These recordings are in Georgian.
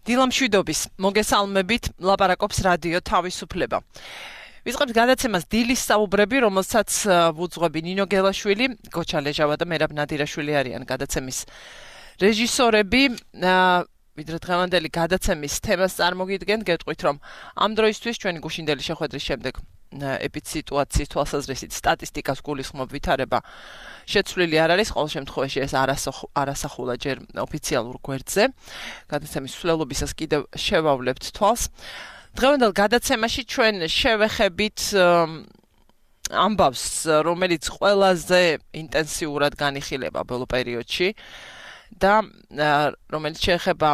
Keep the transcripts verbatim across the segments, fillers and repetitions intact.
დილამშვიდობის მოგესალმებით, ლაპარაკობს რადიო თავისუფლება. ვიწყებთ გადაცემას დილის საუბრები, რომელსაც ვუძღვები ნინო გელაშვილი, გოჩა ლეჟავა და მერაბ ნადირაშვილი არიან გადაცემის რეჟისორები. ვიდრე დღევანდელი გადაცემის თემას წარმოგიდგენთ, გეტყვით, რომ ამ დროისთვის ჩვენი გუშინდელი შეხვედრის შემდეგ ეპიდსიტუაციის თვალსაზრისით სტატისტიკას გულისხმობ ვითარება შეცვლილი არ არის, ყოველ შემთხვევაში ეს არასახულა ჯერ ოფიციალურ გვერდზე. გადაცემის მსვლელობისას კიდევ შევავლებთ თვალს. დღევანდელ გადაცემაში ჩვენ შევეხებით ამბავს, რომელიც ყველაზე ინტენსიურად განიხილება ბოლო პერიოდში და რომელიც შეეხება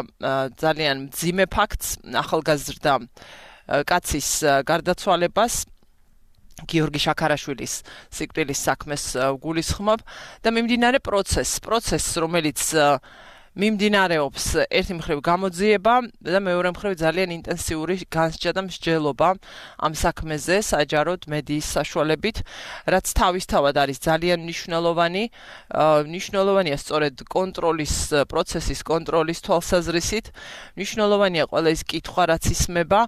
ძალიან მძიმე ფაქტს, ახალგაზრდა კაცის გარდაცვალებას, გიორგი შაქარაშვილის სიკვდილის საქმეს გულისხმობ და მიმდინარე პროცესს, პროცესს, რომელიც მიმდინარეობს ერთი მხრივ გამოძიება და მეორე მხრივ ძალიან ინტენსიური განსჯა და მსჯელობა ამ საქმეზე საჯაროდ მედიის საშუალებით, რაც თავისთავად არის ძალიან მნიშვნელოვანი, მნიშვნელოვანია სწორედ კონტროლის პროცესის კონტროლის თვალსაზრისით, მნიშვნელოვანია ყველა ის კითხვა, რაც ისმება.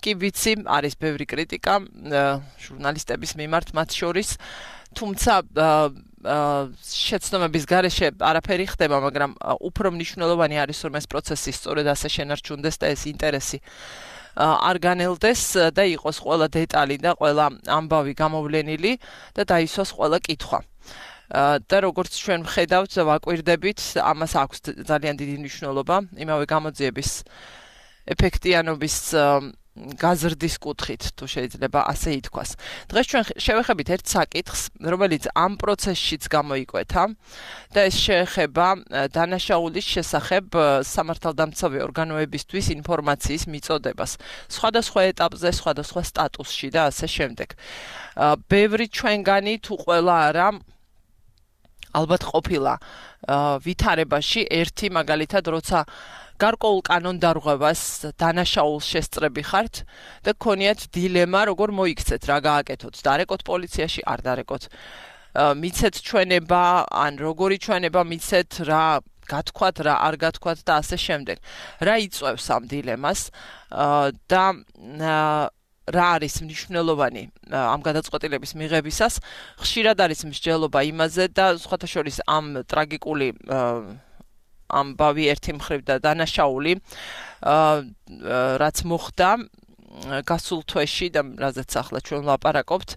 კი ვიცი, არის ბევრი კრიტიკა ჟურნალისტების მიმართ მათ შორის, თუმცა შეცდომების გარეშე არაფერი ხდება, მაგრამ უფრო მნიშვნელოვანი არის, რომ ეს პროცესი სწორედ ასე შენარჩუნდეს და ეს ინტერესი არ განელდეს და იყოს ყველა დეტალი და ყველა ამბავი გამოვლენილი და დაისვას ყველა კითხვა. და როგორც ჩვენ ვხედავთ, ვაკვირდებით, ამას აქვს ძალიან დიდი მნიშვნელობა იმავე გამოძიების ეფექტიანობის გაზრდის კუთხით, თუ შეიძლება ასე ითქვას. დღეს ჩვენ შევეხებით ერთ საკითხს, რომელიც ამ პროცესშიც გამოიკვეთა და ეს შეეხება დანაშაულის შესახებ სამართალდამცავი ორგანოებისთვის ინფორმაციის მიწოდებას. სხვადასხვა ეტაპზე, სხვადასხვა სტატუსში და ასე შემდეგ. ბევრი ჩვენგანი თუ ყველა არა ალბათ ყოფილა ვითარებაში ერთი მაგალითად, როცა გარკვეულ კანონდარღვევას დანაშაულს შესწრები ხართ და გქონიათ დილემა, როგორ მოიქცეთ, რა გააკეთოთ, დარეკოთ პოლიციაში, არ დარეკოთ, მიცეთ ჩვენება, ან როგორი ჩვენება მიცეთ, რა გათქვათ, რა არ გათქვათ და ასე შემდეგ. რა იწვევს ამ დილემას და რა არის მნიშვნელოვანი ამ გადაწყვეტილების მიღებისას, ხშირად არის მსჯელობა იმაზე და სხვათა შორის ამ ტრაგიკული ამბავი ერთი მხრივ და დანაშაული, რაც მოხდა გასულ თვეში და რაზეც ახლა ჩვენ ვლაპარაკობთ,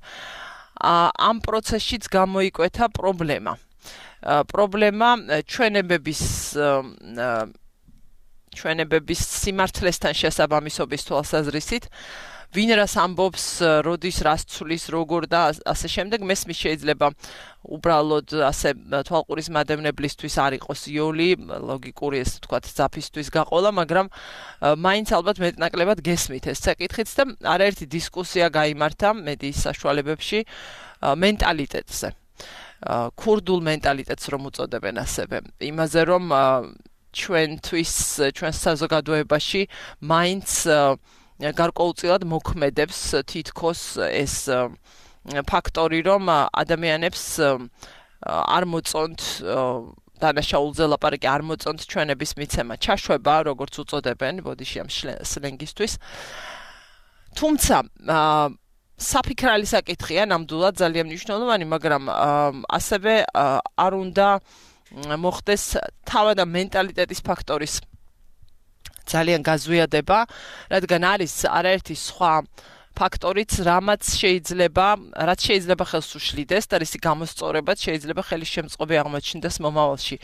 ამ პროცესშიც გამოიკვეთა პრობლემა. პრობლემა ჩვენებების ჩვენებების სიმართლესთან შესაბამისობის თვალსაზრისით, ვინ რას ამბობს, როდის რას ცვლის, როგორ და ასე შემდეგ, მესმის შეიძლება უბრალოდ ასე თვალყურის მადევნებლისთვის არ იყოს იოლი, ლოგიკური ესე ვთქვათ, ძაფისთვის გაყოლა, მაგრამ მაინც ალბათ მეტნაკლებად გესმით ეს საკითხიც და არაერთი დისკუსია გაიმართა მედიის საშუალებებში მენტალიტეტზე. ქურდულ მენტალიტეტს რომ უწოდებენ ასევე. იმაზე რომ ჩვენთვის, ჩვენ საზოგადოებაში მაინც გარკვეულწილად მოქმედებს თითქოს ეს ფაქტორი, რომ ადამიანებს არ მოწონთ დანაშაულზე ლაპარაკი, არ მოწონთ ჩვენების მიცემა, ჩაშვება, როგორც უწოდებენ ბოდიში ამ სლენგისთვის. თუმცა საფიქრალი საკითხია, ნამდვილად ძალიან მნიშვნელოვანი, მაგრამ ასევე არ უნდა მოხდეს თავად ამ მენტალიტეტის ფაქტორის ძალიან გაზვიადება, რადგან არის არაერთი სხვა ფაქტორიც, რამაც შეიძლება, რაც შეიძლება ხელს უშლიდეს და რისი გამოსწორებაც შეიძლება ხელის შემწყობი აღმოჩნდეს მომავალში.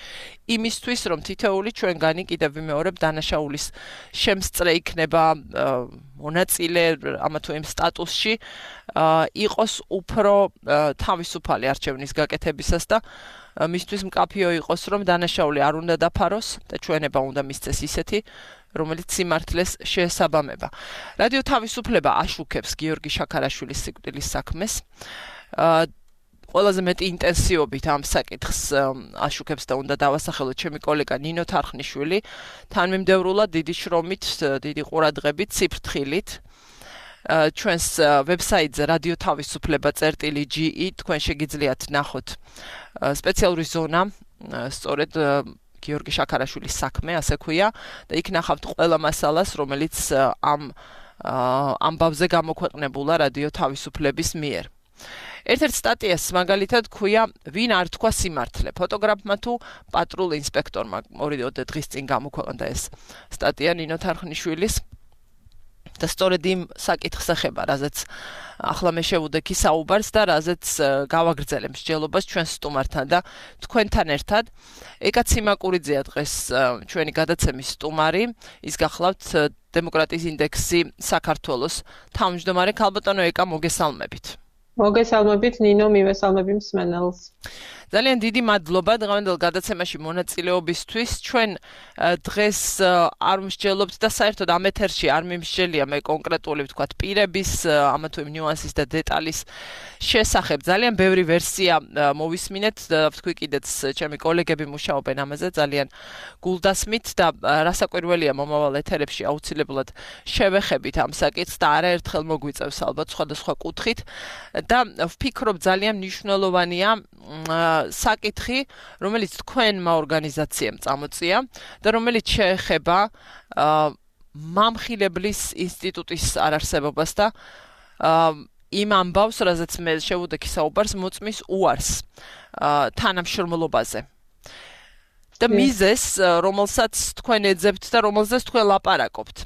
იმისთვის, რომ თითოეული ჩვენგანი კიდევ ვიმეორებ დანაშაულის შემსწრე იქნება მონაწილე ამა თუ იმ სტატუსში, იყოს უფრო თავისუფალი არჩევნის გაკეთებისას და მისთვის მკაფიო იყოს, რომ დანაშაული არ უნდა დაფაროს და ჩვენება უნდა მისცეს ისეთი, რომელიც სიმართლეს შეესაბამება. რადიო თავისუფლება აშუქებს გიორგი შაქარაშვილის სიკვდილის საქმეს. ყველაზე მეტი ინტენსივობით ამ საკითხს აშუქებს და უნდა დავასახელოთ ჩემი კოლეგა ნინო თარხნიშვილი, თანმიმდევრულად დიდი შრომით, დიდი ყურადღებით, ციფრთხილით. ჩვენს ვებსაიტზე რადიო თავისუფლება წერტილი ჯი ი თქვენ შეგიძლიათ ნახოთ სპეციალური ზონა სწორედ გიორგი შაქარაშვილის საქმე ასე ქვია და იქ ნახავთ ყველა მასალას რომელიც ამ ამბავზე გამოქვეყნებულა რადიო თავისუფლების მიერ ერთ-ერთ სტატიას მაგალითად ქვია ვინ არ თქვა სიმართლე ფოტოგრაფმა თუ პატრულ ინსპექტორმა ორი დღის წინ გამოქვეყნდა ეს სტატია ნინო თარხნიშვილის და სწორედ იმ საკითხს ეხება რაზეც ახლა მე შევუდექი საუბარს და რაზეც გავაგრძელებ მსჯელობას ჩვენ სტუმართან და თქვენთან ერთად ეკა ციმაკურიძეა დღეს ჩვენი გადაცემის სტუმარი ის გახლავთ დემოკრატიის ინდექსი საქართველოს თავმჯდომარე ქალბატონო ეკა მოგესალმებით მოგესალმებით ნინო მივესალმები მსმენელს ძალიან დიდი მადლობა დღევანდელ გადაცემაში მონაწილეობისთვის ჩვენ დღეს არ მსჯელობთ და საერთოდ ამ ეთერში არ მიმსჯელია მე კონკრეტული ვთქვათ პირების ამა თუ იმ ნიუანსის და დეტალის შესახებ ძალიან ბევრი ვერსია მოვისმინეთ და ვთქვი კიდეც ჩემი კოლეგები მუშაობენ ამაზე ძალიან გულდასმით და რასაკვირველია მომავალ ეთერებში აუცილებლად შევეხებით ამ საკითხს და არაერთხელ მოგვიწევს ალბათ სხვადასხვა კუთხით და ვფიქრობ ძალიან მნიშვნელოვანია საკითხი, რომელიც თქვენმა ორგანიზაციამ წამოწია და რომელიც შეეხება მამხილებლის ინსტიტუტის არარსებობას და იმ ამბავს, რაზეც მე შევუდექი საუბარს მოწმის უარს თანამშრომლობაზე. და მიზეს, რომელსაც თქვენ ეძებთ და რომელზეც თქვენ ლაპარაკობთ.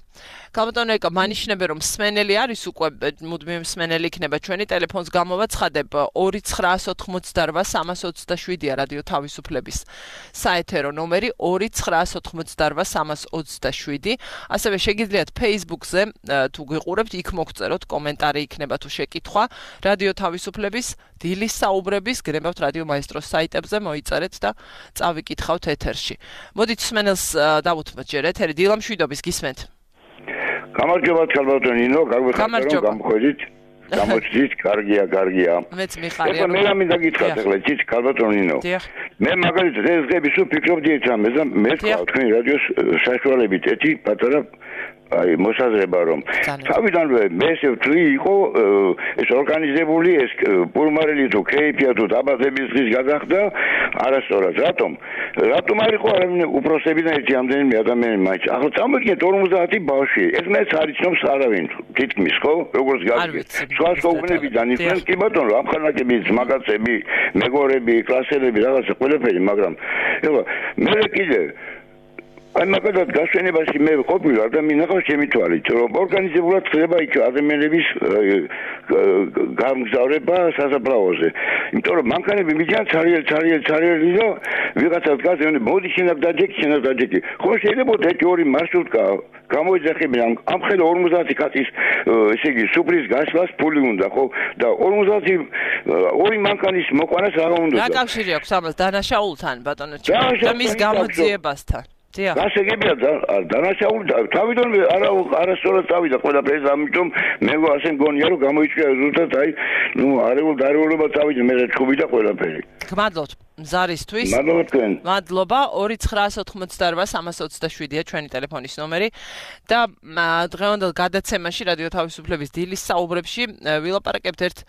ქალბატონო ეკა მანიშნებე რომ მსმენელი არის უკვე მუდმივი მსმენელი იქნება ჩვენი ტელეფონს გამოვაცხადებ ორი ცხრაას ოთხმოცდარვა სამას ოცდაშვიდია რადიო თავისუფლების საეთერო ნომერი ორი ცხრაას ოთხმოცდარვა სამას ოცდაშვიდი ასევე შეგიძლიათ Facebook-ზე თუ გიყურებთ იქ მოგწეროთ კომენტარი იქნება თუ შეკითხვა რადიო თავისუფლების დილის საუბრების გრებავთ რადიო მაესტროს საიტებზე მოიწერეთ და წავიკითხავთ ეთერში მოდით მსმენელს დავუთმოთ ჯერ ეთერი დილა მშვიდობის გისმენთ გამარჯობა ქალბატონო ნინო, გაგვიხარეთ რომ გამხვედით, გამოჩდით, კარგია, კარგია. მეც მიხარია. ეხლა მე რა მინდა გითხრათ ახლა იცით ქალბატონო ნინო. მე მაგალითად ეს დღეები სულ ფიქრობდი ერთ რამეს და მე თქვა თქვენი რადიოს საშუალებით ერთი პატარა აი მოსაზრება რომ თავიდანვე მე ესე ვთვლი იყო ეს ორგანიზებული ეს პულმარელი თუ ქეიფია თუ დაბადების დღის გადახდა არასწორად რატომ რატომ არ იყო არავინ უპროსებიდან ერთი ამდენი ადამიანი მაინც ახლა წამოგიგეთ ორმოცდაათი ბავშვი ეს მეც არ იცნობს არავინ თითქმის ხო როგორც გაგიგეთ სხვა სკოლებიდან იფრენ კი ბატონო ამხანაკები მაგაცები მეგობრები კლასელები რაღაცა ყველაფერი მაგრამ ეხლა მე კიდე აი მაგალითად გასვენებაში მე ყოფილა და მინახავს ჩემი თვალით რომ ორგანიზებულად ხდება იქ ადამიანების გამგზავრება სასაფლაოზე იმიტომ რომ მანქანები მიჯან ცარიელ ცარიელ ცარიელი და ვიღაცა დგას მე მოდი შენაკ დაჯექი შენაკ დაჯექი ხო შეიძლება ერთი ორი მარშრუტკა გამოიძახებინა ამ ხელა ორმოცდაათი კაცის ესე იგი სუფრის გასვლას ფული უნდა ხო და ორმოცდაათი ორი მანქანის მოყვანას რა უნდა რა კავშირი აქვს ამას დანაშაულთან ბატონო და მის გამოძიებასთან გასაგებია დანაშაული თავიდანვე არა არასწორად წავიდა ყველაფერი ამიტომ მე ასე მგონია რომ გამოიწვია ზუსტად აი ნუ არეულ დარეულობა წავიდა მე ჩხუბი და ყველაფერი გმადლობთ მზარისთვის მადლობა თქვენ მადლობა ორი ცხრაას ოთხმოცდარვა სამას ოცდაშვიდია ჩვენი ტელეფონის ნომერი და დღევანდელ გადაცემაში რადიო თავისუფლების დილის საუბრებში ვილაპარაკებთ ერთ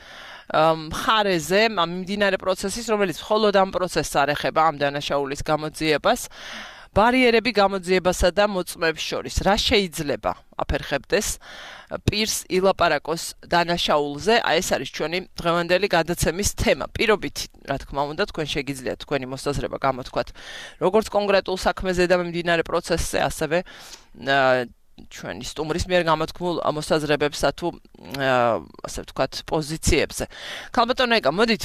მხარეზე მიმდინარე პროცესის რომელიც მხოლოდ ამ პროცესს არ ეხება ამ დანაშაულის გამოძიებას ბარიერები გამოძიებასა და მოწმეებს შორის რა შეიძლება აფერხებდეს პირს ილაპარაკოს დანაშაულზე აი ეს არის ჩვენი დღევანდელი გადაცემის თემა პირობით რა თქმა უნდა თქვენ შეგიძლიათ თქვენი მოსაზრება გამოთქვათ როგორც კონკრეტულ საქმეზე და მიმდინარე პროცესზე ასევე ჩვენი სტუმრის მიერ გამოთქმულ მოსაზრებებსა თუ ასე ვთქვათ პოზიციებზე. ქალბატონო ეკა, მოდით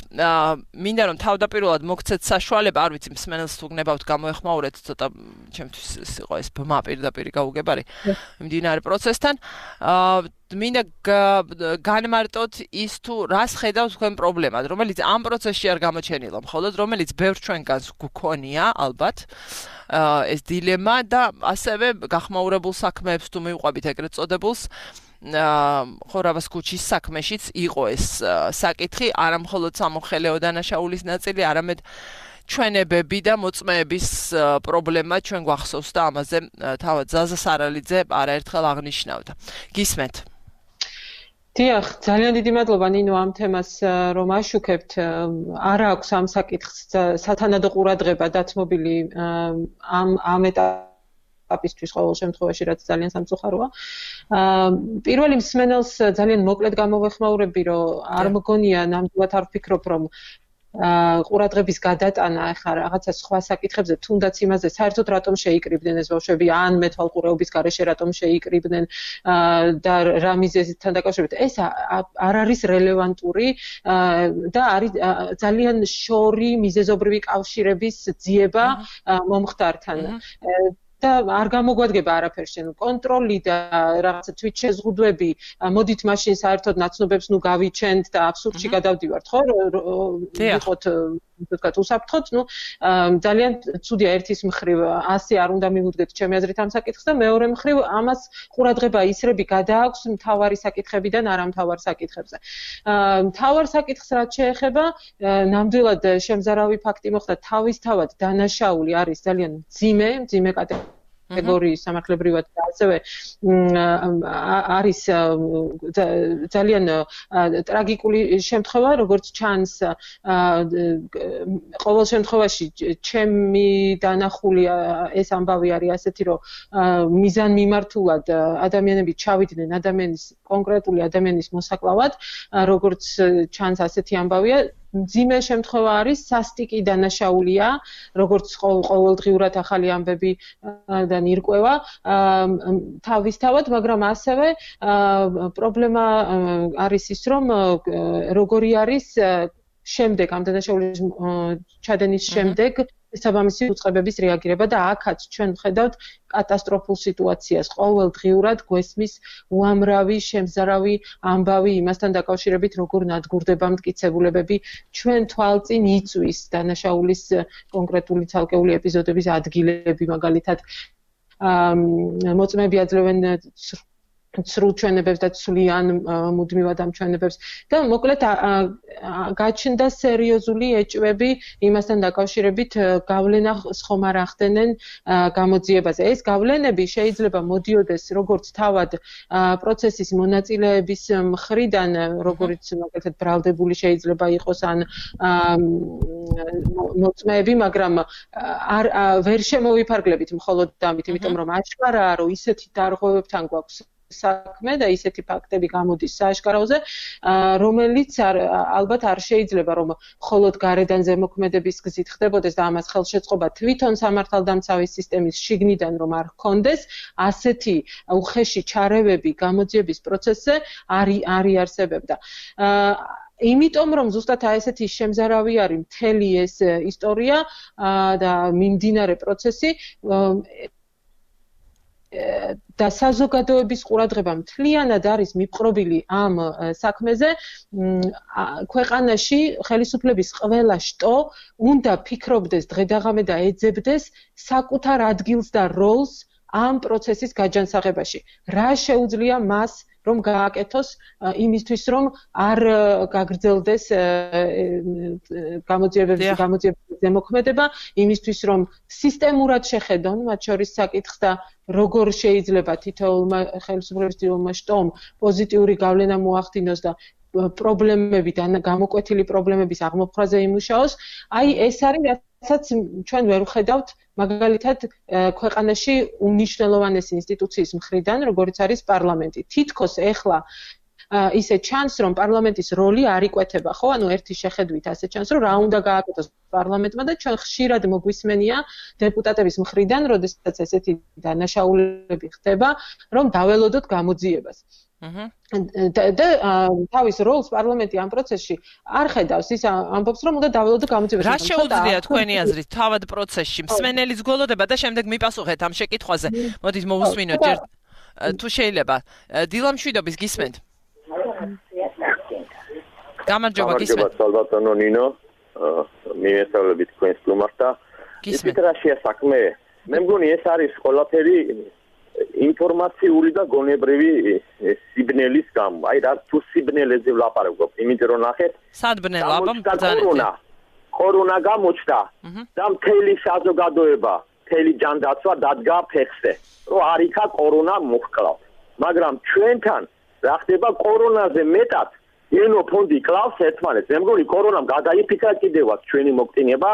მინდა რომ თავდაპირველად მოგცეთ საშუალება, არ ვიცი მსმენელს თუ გნებავთ გამოეხმაურეთ ცოტა ჩემთვის იყო ეს ბმა პირდაპირ გაუგებარი მიმდინარე პროცესთან. მინდა განმარტოთ ის თუ რას ხედავთ თქვენ პრობლემად, რომელიც ამ პროცესში არ გამოჩენილა, მხოლოდ რომელიც ბევრ ჩვენგანს გქონია, ალბათ. ეს დილემა და ასევე გახმაურებულ საქმეებს თუ მივყვებით ეგრეთ წოდებულს ხორავას ქუჩის საქმეშიც იყო ეს საკითხი, არა მხოლოდ სამოხელეო დანაშაულის ნაწილი, არამედ ჩვენებები და მოწმეების პრობლემა ჩვენ გვახსოვს და ამაზე თავად ზაზა სარალიძე არაერთხელ აღნიშნავდა. გისმენთ. დიახ, ძალიან დიდი მადლობა ნინო ამ თემას რომ აშუქებთ. არ აქვს ამ საკითხს სათანადო ყურადღება დათმობილი ამ ამ ეტაპისთვის ყოველ შემთხვევაში, რაც ძალიან სამწუხაროა. პირველი მსმენელს ძალიან მოკლედ გამოვეხმაურები, რომ არ მგონია ნამდვილად არ ვფიქრობ, რომ ყურადღების გადატანა ახლა რაღაცა სხვა საკითხებზე, თუნდაც იმაზე საერთოდ რატომ შეიკრიბნენ ეს ბავშვები, ან მეთვალყურეობის გარეშე რატომ შეიკრიბნენ და რა მიზეზთან დაკავშირებით. ეს არ არის რელევანტური და არის ძალიან შორი მიზეზობრივი კავშირების ძიება მომხდართან. და არ გამოგვადგება არაფერს შენ კონტროლი და რაღაცა თვით შეზღუდვები მოდით მაშინ საერთოდ ნაცნობებს ნუ გავიჩენთ და აბსურდში გადავდივართ ხო ვიყოთ თქვათ უსაფრთხოდ ნუ ძალიან ცუდია ერთის მხრივ ასე არ უნდა მივუდგეთ ჩემი აზრით ამ საკითხს და მეორე მხრივ ამას ყურადღება ისრები გადააქვს მთავარი საკითხებიდან არა მთავარ საკითხებზე მთავარ საკითხს რაც შეეხება ნამდვილად შემზარავი ფაქტი მოხდა თავისთავად დანაშაული არის ძალიან მძიმე მძიმე კატეგორიის სამართლებრივად და ასევე არის ძალიან ტრაგიკული შემთხვევა როგორც ჩანს ყოველ შემთხვევაში ჩემი დანახული ეს ამბავი არის ასეთი რომ მიზანმიმართულად ადამიანები ჩავიდნენ ადამიანის კონკრეტული ადამიანის მოსაკლავად როგორც ჩანს ასეთი ამბავია მძიმე შემთხვევა არის სასტიკი დანაშაულია როგორც ყოველდღიურად ახალი ამბები და ნირკვევა თავისთავად მაგრამ ასევე პრობლემა არის ის რომ როგორი არის შემდეგ ამ დანაშაულის ჩადენის შემდეგ საბამისი უწყებების რეაგირება და აქაც ჩვენ ვხედავთ კატასტროფულ სიტუაციას ყოველდღიურად გვესმის უამრავი შემზარავი ამბავი იმასთან დაკავშირებით როგორ ნადგურდება მტკიცებულებები ჩვენ თვალწინ იწვის დანაშაულის კონკრეტული ცალკეული ეპიზოდების ადგილები მაგალითად მოწმეები აძლევენ ცრუ ჩვენებებს და ცვლიან მუდმივად ამ ჩვენებებს და მოკლედ გაჩნდა სერიოზული ეჭვები იმასთან დაკავშირებით გავლენა ხომ არ ახდენენ გამოძიებაზე. ეს გავლენები შეიძლება მოდიოდეს როგორც თავად პროცესის მონაწილეების მხრიდან, როგორც მაგალითად ბრალდებული შეიძლება იყოს ან მოწმეები, მაგრამ არ ვერ შემოვიფარგლებით მხოლოდ ამით, იმიტომ რომ აშკარაა, რომ ისეთი დარღვევებთან გვაქვს საქმე და ისეთი ფაქტები გამოდის სააშკაროზე, რომელიც ალბათ არ შეიძლება რომ მხოლოდ გარედან ზემოქმედების გზით ხდებოდეს და ამას ხელშეწყობა თვითონ სამართალდამცავი სისტემის შიგნიდან რომ არ ჰქონდეს, ასეთი უხეში ჩარევები გამოძიების პროცესზე არ არიარსებებდა. იმიტომ რომ ზუსტად ესეთი შემზარავი არის მთელი ეს ისტორია და მიმდინარე პროცესი და საზოგადოების ყურადღება მთლიანად არის მიპყრობილი ამ საქმეზე ქვეყანაში ხელისუფლების ყველა შტო უნდა ფიქრობდეს დღედაღამე და ეძებდეს საკუთარ ადგილს და როლს ამ პროცესის გაჯანსაღებაში. რა შეუძლია მას რომ გააკეთოს იმისთვის რომ არ გაგრძელდეს გამოძიებების გამოძიებების ზემოქმედება, იმისთვის რომ სისტემურად შეხედონ მათ შორის საკითხს და როგორ შეიძლება თითოეულმა ხელისუფლების თითოეულმა შტომ პოზიტიური გავლენა მოახდინოს და პრობლემები და გამოკვეთილი პრობლემების აღმოფხვრაზე იმუშაოს. აი ეს არის რასაც ჩვენ ვერ ვხედავთ მაგალითად ქვეყანაში უმნიშვნელოვანესი ინსტიტუციის მხრიდან, როგორც არის პარლამენტი. თითქოს ეხლა ისე ჩანს, რომ პარლამენტის როლი არ იკვეთება, ხო? ანუ ერთი შეხედვით ასე ჩანს, რომ რა უნდა გააკეთოს პარლამენტმა და ჩვენ ხშირად მოგვისმენია დეპუტატების მხრიდან, როდესაც ესეთი დანაშაულები ხდება, რომ დაველოდოთ გამოძიებას. და თავის როლს პარლამენტი ამ პროცესში არ ხედავს, ის ამბობს, რომ უნდა დაველოდო გამოძიებას. რა შეუძლია თქვენი აზრით თავად პროცესში? მსმენელის გველოდება და შემდეგ მიპასუხეთ ამ შეკითხვაზე. მოდით მოვუსმინოთ ჯერ თუ შეიძლება. დილამშვიდობის გისმენთ? გამარჯობა გისმენთ. სალვატონო ნინო, მიესალმებით თქვენს სტუმარს და ისეთ რაშია საქმე. მე მგონი ეს არის ყველაფერი ინფორმაციული და გონებრივი სიბნელის გამო. აი რა თუ სიბნელეზე ვლაპარაკობ, იმიტომ რომ ნახეთ, სად ბნელა კორონა. კორონა გამოჩნდა და მთელი საზოგადოება, მთელი ჯანდაცვა დადგა ფეხზე, რომ არ იქა კორონა მოჰკლავთ. მაგრამ ჩვენთან რა ხდება კორონაზე მეტად ენოფონდი კლავს ერთმანეთს. მე მგონი კორონამ გადაიფიქრა კიდევაც ჩვენი მოկდინება,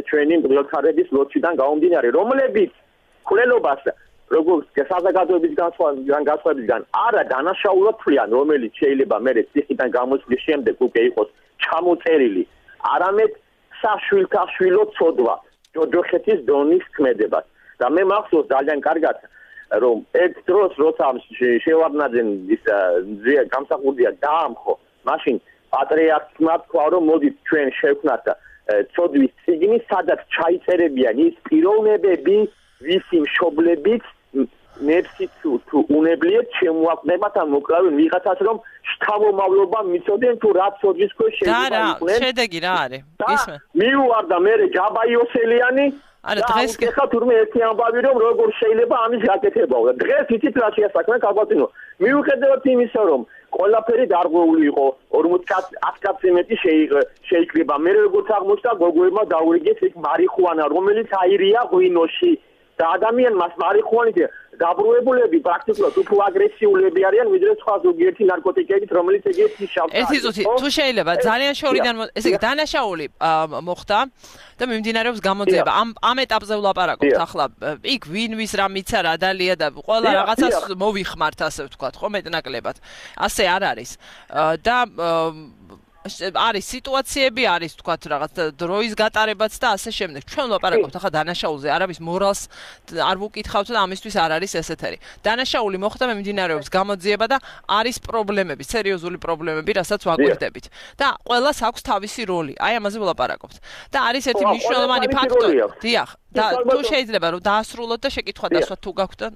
ჩვენი მგლოთარების ლოცვიდან გამომდინარე, რომლებიც ხულელობას როგორც საზოგადოების განსხვავებისგან არა დანაშაულად თვლიან, რომელიც შეიძლება მერე ციხიდან გამოსვლის შემდეგ უკვე იყოს ჩამოწერილი, არამედ საშვილთა შვილო ცოდვა, ჯოჯოხეთის დონის ქმედებას. და მე მახსოვს ძალიან კარგად, რომ ერთ დროს როცა შევარდნაძემ ის გამსახურდია დაამხო, მაშინ პატრიარქმა თქვა, რომ მოდით ჩვენ შევქმნათ ცოდვის წიგნი, სადაც ჩაიწერებიან ის პიროვნებები, ვისი მშობლებიც ნებსით თუ უნებლიეთ შემოაყენებათ ან მოკრავენ ვიღაცას, რომ შთამომავლობა მიცოდნენ თუ რა ცოდვის ქვეშ შეიძლება იყვნენ. და რა, შედეგი რა არის? ისმე. მიუვარდა მე ჯაბაიოსელიანი არა დღეს ხა თურმე ერთი ამბავი რომ როგორ შეიძლება ამის გაკეთებაო და დღეს იცით რა შეასაქმე კაბატინო მიუხედავად იმისა რომ ყველაფერი დარღვეული იყო ორმოც ათი მეტი შეიკრიბა მე როგორც აღმოჩნდა გოგოებმა დაურიგეს იქ მარიხუანა რომელიც აირია ღვინოში და ადამიანს მარიხუანით დაბრუნებულები პრაქტიკულად უფრო აგრესიულები არიან ვიდრე სხვა ზოგიერთი ნარკოტიკებით რომელიც ეგეთი შავდა ერთი წუთი თუ შეიძლება ძალიან შორიდან ესე იგი დანაშაული მოხდა და მიმდინარეობს გამოძიება ამ ამ ეტაპზე ვლაპარაკობთ ახლა იქ ვინ ვის რა მიცა რა დალია და ყველა რაღაცას მოვიხმართ ასე ვთქვათ ხო მეტნაკლებად ასე არ არის და არის სიტუაციები არის თქვათ რაღაც დროის გატარებაც და ასე შემდეგ. ჩვენ ვლაპარაკობთ ახლა დანაშაულზე, არავის მორალს არ ვუკითხავთ და ამისთვის არ არის ესეთერი. დანაშაული მოხდა მიმდინარეობს გამოძიება და არის პრობლემები, სერიოზული პრობლემები, რასაც ვაკვირდებით. და ყველას აქვს თავისი როლი. აი ამაზე ვლაპარაკობთ. და არის ერთი მნიშვნელოვანი ფაქტორი. დიახ, და თუ შეიძლება რომ დაასრულოთ და შეკითხვა დასვათ თუ გაქვთ და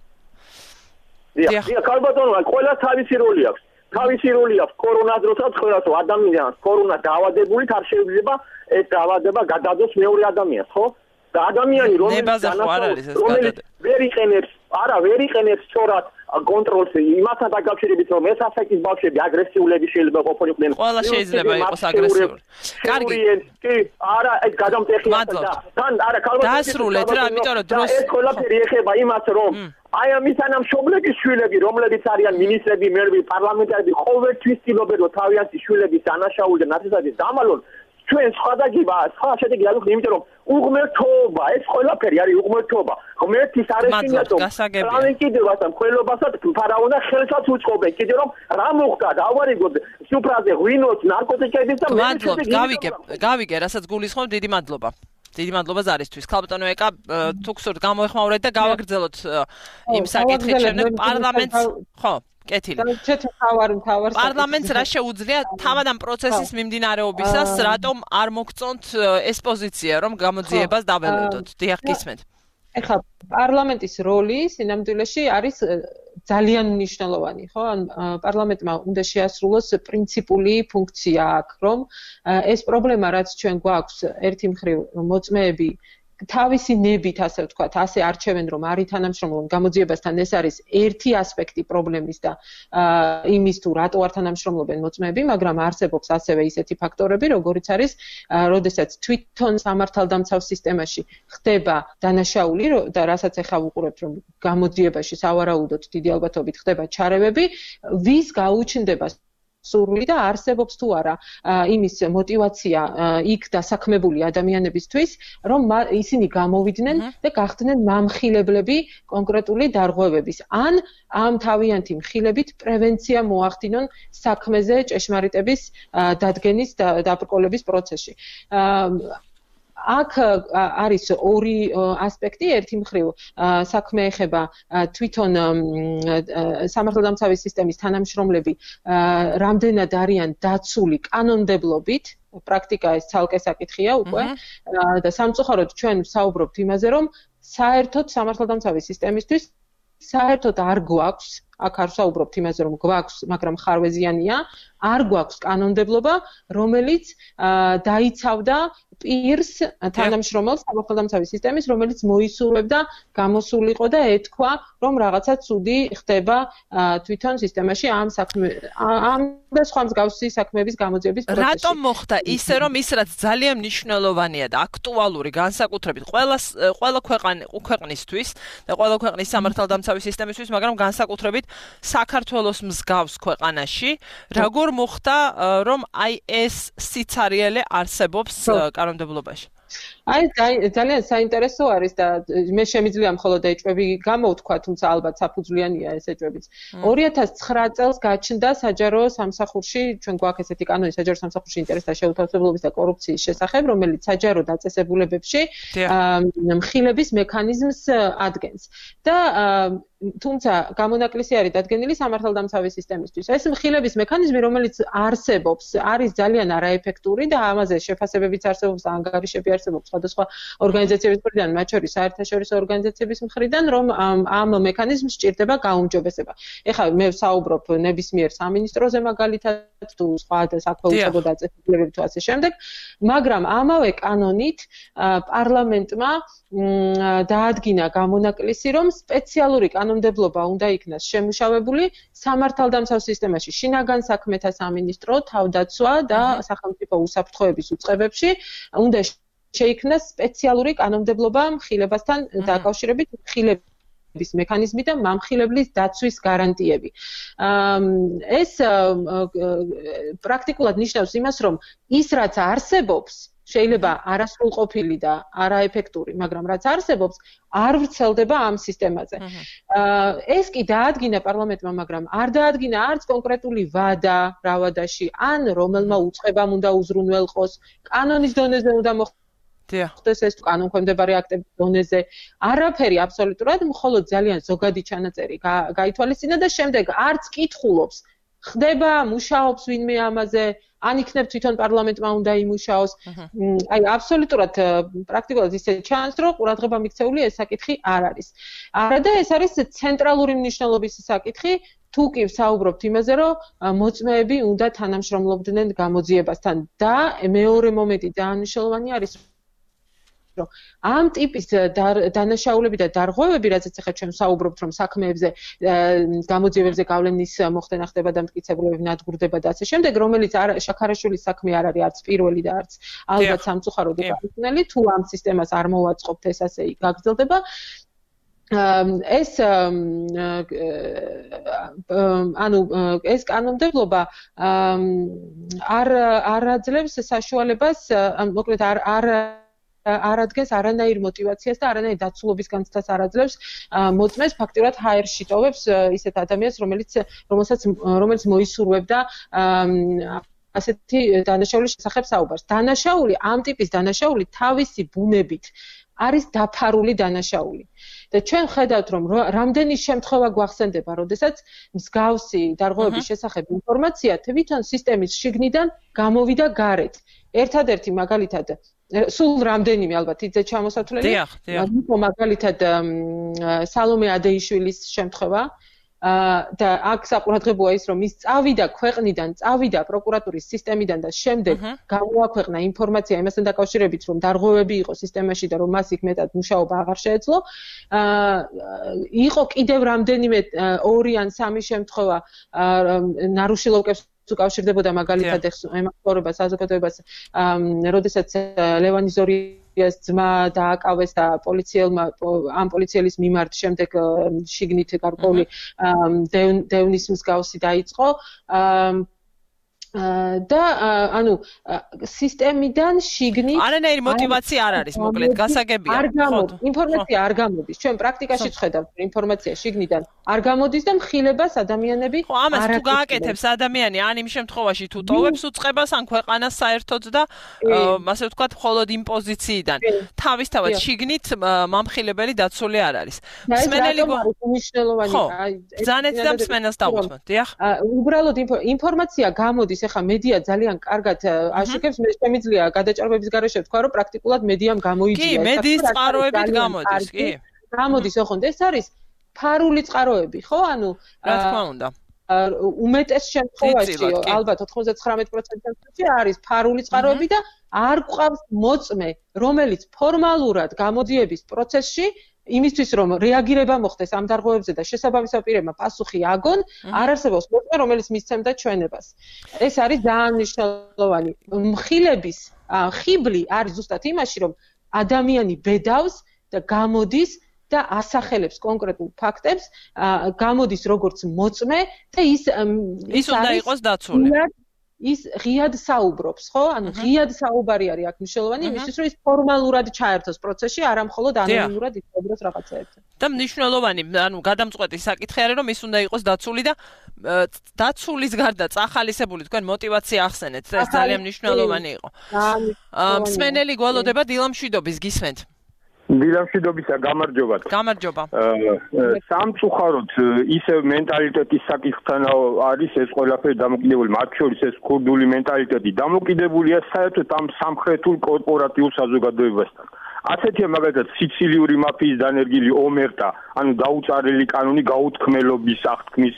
დიახ, დიახ, ალბათონ ყველას თავისი როლი აქვს. თავისი როლი აქვს კორონას დროსაც ყველას ადამიანს კორონა დაავადებული არ შეიძლება ეს დაავადება გადადოს მეორე ადამიანს ხო და ადამიანი რომელიც ვერ იყენებს არა ვერ იყენებს სწორად კონტროლს იმასთან დაკავშირებით რომ ეს ასაკის ბავშვები აგრესიულები შეიძლება ყოფილიყვნენ ყველა შეიძლება იყოს აგრესიული კარგი კი არა ეს გადამტეხია და თან არა ქალბატონი დაასრულეთ რა იმიტომ რომ დროს ეს ყველაფერი ეხება იმას რომ აი ამის თანამშრომლების შვილები, რომლებიც არიან მინისტრები, მერები, პარლამენტარები, ყოველთვის ცდილობენ რომ თავიანთი შვილების დანაშაული და ნაცისტების დამალონ ჩვენ სხვადასხვა სხვა შედეგი არ ვიქნი, იმიტომ რომ უღმერთობა, ეს ყველაფერი არის უღმერთობა. ღმერთის არეშინიათო, პროვინციდებას და მკვლელობასაც ფარაონა ხელსაც უწყობენ, კიდე რომ რა მოხდა, დავარიგოთ სუფრაზე ღვინოს, ნარკოტიკების და მე გავიგე, გავიგე, რასაც გულისხმობ, დიდი მადლობა. დიდი მადლობა ზარისთვის. ქალბატონო ეკა თუ გსურთ გამოეხმაურეთ და გავაგრძელოთ იმ საკითხით შემდეგ პარლამენტს ხო კეთილი. პარლამენტს რა შეუძლია თავად ამ პროცესის მიმდინარეობისას რატომ არ მოგწონთ ეს პოზიცია რომ გამოძიებას დაველოდოთ. დიახ გისმენთ. ეხლა პარლამენტის როლი სინამდვილეში არის ძალიან მნიშვნელოვანი, ხო? ან პარლამენტმა უნდა შეასრულოს პრინციპული ფუნქცია აქ, რომ ეს პრობლემა რაც ჩვენ გვაქვს ერთი მხრივ მოწმეები თავისი ნებით ასე ვთქვათ, ასე არჩევენ რომ არის თანამშრომლობენ გამოძიებასთან ეს არის ერთი ასპექტი პრობლემის და იმის თუ რატო არ თანამშრომლობენ მოწმეები, მაგრამ არსებობს ასევე ისეთი ფაქტორები, როგორიც არის, როდესაც თვითონ სამართალდამცავ სისტემაში ხდება დანაშაული და რასაც ახლა ვუყურებთ რომ გამოძიებაში სავარაუდოდ დიდი ალბათობით ხდება ჩარევები, ვის გაუჩნდება სურვილი და არსებობს თუ არა იმის мотиваცია იქ დასაქმებული ადამიანებისთვის რომ ისინი გამოვიდნენ და გახდნენ მამხილებლები კონკრეტული დარღვევების ან ამ თავიანთი მხილებით პრევენცია მოახდინონ საქმეზე ჭეშმარიტების დადგენის და დაბრკოლების პროცესში აქ არის ორი ასპექტი, ერთი მხრივ საქმე ეხება თვითონ სამართალდამცავი სისტემის თანამშრომლები რამდენად არიან დაცული კანონმდებლობით, პრაქტიკა ეს ცალკე საკითხია უკვე და სამწუხაროდ ჩვენ ვსაუბრობთ იმაზე, რომ საერთოდ სამართალდამცავი სისტემისთვის საერთოდ არ გვაქვს, აქ არ ვსაუბრობთ იმაზე, რომ გვაქვს, მაგრამ ხარვეზიანია, არ გვაქვს კანონმდებლობა, რომელიც დაიცავდა პირს თანამშრომელს სამართალდამცავი სისტემის, რომელიც მოისურვებდა გამოსულიყო და ეთქვა, რომ რაღაცა ცუდი ხდება თვითონ სისტემაში ამ საქმე ამ და სხვა მსგავსი საქმეების გამოძიების პროცესში. რატომ მოხდა ისე, რომ ის რაც ძალიან მნიშვნელოვანია და აქტუალური განსაკუთრებით ყველა ყველა ქვეყნისთვის და ყველა ქვეყნის სამართალდამცავი სისტემისთვის, მაგრამ განსაკუთრებით საქართველოს მსგავს ქვეყანაში, როგორ მოხდა, რომ აი ეს სიცარიელე არსებობს კანონმდებლობაში? აი ძალიან საინტერესო არის და მე შემიძლია მხოლოდ ეჭვები გამოვთქვა, თუმცა ალბათ საფუძვლიანია ეს ეჭვებიც. ორი ათას ცხრა წელს გაჩნდა საჯარო სამსახურში, ჩვენ გვაქვს ესეთი კანონი საჯარო სამსახურში ინტერესთა შეუთავსებლობის და კორუფციის შესახებ, რომელიც საჯარო დაწესებულებებში მხილების მექანიზმს ადგენს. და თუმცა გამონაკლისი არის დადგენილი სამართალდამცავი სისტემისთვის. ეს მხილების მექანიზმი, რომელიც არსებობს, არის ძალიან არაეფექტური და ამაზე შეფასებებიც არსებობს და ანგარიშები არსებობს სხვადასხვა ორგანიზაციების მხრიდან, მათ შორის საერთაშორისო ორგანიზაციების მხრიდან, რომ ამ მექანიზმს სჭირდება გაუმჯობესება. ეხლა მე ვსაუბრობ ნებისმიერ სამინისტროზე მაგალითად თუ სხვა საქმეუწყებო დაწესებულებები თუ ასე შემდეგ, მაგრამ ამავე კანონით პარლამენტმა დაადგინა გამონაკლისი, რომ სპეციალური კანონმდებლობა უნდა იქნას შემუშავებული სამართალდამცავ სისტემაში, შინაგან საქმეთა სამინისტრო, თავდაცვა და სახელმწიფო უსაფრთხოების უწყებებში უნდა შეიქმნას სპეციალური კანონმდებლობა მხილებასთან დაკავშირებით, მხილების მექანიზმი და მამხილებლის დაცვის გარანტიები. ეს პრაქტიკულად ნიშნავს იმას, რომ ის რაც არსებობს შეიძლება არასრულყოფილი და არაეფექტური, მაგრამ რაც არსებობს, არ ვრცელდება ამ სისტემაზე. ეს კი დაადგინა პარლამენტმა, მაგრამ არ დაადგინა არც კონკრეტული ვადა რა ვადაში, ან რომელმა უწყებამ უნდა უზრუნველყოს, კანონის დონეზე უნდა მოხდეს ეს კანონქვემდებარე აქტების დონეზე. არაფერი აბსოლუტურად, მხოლოდ ძალიან ზოგადი ჩანაწერი გაითვალისწინა და შემდეგ არც კითხულობს, ხდება, მუშაობს ვინმე ამაზე, ან იქნებ თვითონ პარლამენტმა უნდა იმუშაოს. აი აბსოლუტურად პრაქტიკულად ისე ჩანს, რომ ყურადღება მიქცეული ეს საკითხი არ არის. არა და ეს არის ცენტრალური მნიშვნელობის საკითხი, თუ კი ვსაუბრობთ იმაზე, რომ მოწმეები უნდა თანამშრომლობდნენ გამოძიებასთან და მეორე მომენტი ძალიან მნიშვნელოვანი არის, რომ ამ ტიპის დანაშაულები და დარღვევები, რაზეც ახლა ჩვენ ვსაუბრობთ, რომ საქმეებზე, გამოძიებებზე გავლენის მოხდენა ხდება და მტკიცებულებები ნადგურდება და ასე შემდეგ, რომელიც შაქარაშვილის საქმე არ არის არც პირველი და არც ალბათ სამწუხაროდ უკანონელი, თუ ამ სისტემას არ მოვაწყობთ, ეს ასე გაგრძელდება. ეს ანუ ეს კანონმდებლობა არ არ აძლევს საშუალებას, მოკლედ არ არ არ ადგენს არანაირ мотиваციას და არანაირ დაცულობის განცდას არ აძლევს მოწმეს ფაქტიურად ჰაერში ტოვებს ისეთ ადამიანს, რომელიც რომელსაც რომელიც მოისურვებდა ასეთი დანაშაულის შესახებ საუბარს. დანაშაული, ამ ტიპის დანაშაული თავისი ბუნებით არის დაფარული დანაშაული. და ჩვენ ხედავთ, რომ რამდენი შემთხვევა გვახსენდება, როდესაც მსგავსი დარღვევების შესახებ ინფორმაცია თვითონ სისტემის შიგნიდან გამოვიდა გარეთ. ერთადერთი მაგალითად სულ რამდენიმე ალბათ იძე ჩამოსათვლელი, მაგალითად სალომე ადეიშვილის შემთხვევა და აქ საყურადღებოა ის, რომ ის წავიდა ქვეყნიდან, წავიდა პროკურატურის სისტემიდან და შემდეგ გამოაქვეყნა ინფორმაცია იმასთან დაკავშირებით, რომ დარღვევები იყო სისტემაში და რომ მას იქ მეტად მუშაობა აღარ შეეძლო. იყო კიდევ რამდენიმე ორი ან სამი შემთხვევა ნარუშილოვკებს უკავშირდებოდა მაგალითად ემართლობა საზოგადოებას, როდესაც ლევანი ზორიას ძმა დააკავეს და პოლიციელმა ამ პოლიციელის მიმართ შემდეგ შიგნით გარკვეული დევნის მსგავსი დაიწყო. და ანუ სისტემიდან შიგნით არანაირი мотиваცია არ არის, მოკლედ გასაგებია. არ გამოდის, ინფორმაცია არ გამოდის. ჩვენ პრაქტიკაში ვხედავთ, რომ ინფორმაცია შიგნიდან არ გამოდის და მხილებას ადამიანები ხო, ამას თუ გააკეთებს ადამიანი, ან იმ შემთხვევაში თუ ტოვებს უწყებას ან ქვეყანას საერთოდ და ასე ვთქვათ, მხოლოდ იმ პოზიციიდან თავისთავად შიგნით მამხილებელი დაცული არ არის. მსმენელი მნიშვნელოვანი, აი, ბრძანეთ და მსმენელს დაუწმოთ, დიახ. უბრალოდ ინფორმაცია გამოდის. ეხა მედია ძალიან კარგად აშუქებს, მე შემიძლია გადაჭარბების გარეშე ვთქვა, რომ პრაქტიკულად მედიამ გამოიძია. კი, მედიის წყაროებით გამოდის, კი. გამოდის, ოღონდ ეს არის ფარული წყაროები, ხო? ანუ რა თქმა უნდა. უმეტეს შემთხვევაში ალბათ ოთხმოცდათხრამეტ პროცენტში არის ფარული წყაროები და არ გვყავს მოწმე, რომელიც ფორმალურად გამოდიების პროცესში იმისთვის რომ რეაგირება მოხდეს ამ დარღვევებზე და შესაბამისად პირებმა პასუხი აგონ, არ არსებობს მოწმე, რომელიც მისცემდა ჩვენებას. ეს არის ძალიან მნიშვნელოვანი. მხილების ხიბლი არის ზუსტად იმაში, რომ ადამიანი ბედავს და გამოდის და ასახელებს კონკრეტულ ფაქტებს, გამოდის როგორც მოწმე და ის ის უნდა იყოს დაცული. ის ღიად საუბრობს, ხო? ანუ ღიად საუბარი არის აქ მნიშვნელოვანი, იმისთვის რომ ის ფორმალურად ჩაერთოს პროცესში, არა მხოლოდ ანონიმურად ისაუბროს რაღაცეებზე. და მნიშვნელოვანი, ანუ გადამწყვეტი საკითხი არის, რომ ის უნდა იყოს დაცული და დაცულის გარდა წახალისებული თქვენ мотиваცია ახსენეთ, ეს ძალიან მნიშვნელოვანი იყო. მსმენელი გველოდება დილამშვიდობის გისმენთ. დილამშვიდობისა გამარჯობა. გამარჯობა. სამწუხაროდ ისევ მენტალიტეტის საკითხთან არის ეს ყველაფერი დამოკიდებული, მათ შორის ეს ქურდული მენტალიტეტი დამოკიდებულია საერთოდ ამ სამხრეთულ კორპორატიულ საზოგადოებასთან. ასეთია მაგალითად სიცილიური მაფიის დანერგილი ომერტა, ანუ დაუწარელი კანონი გაუთქმელობის აღთქმის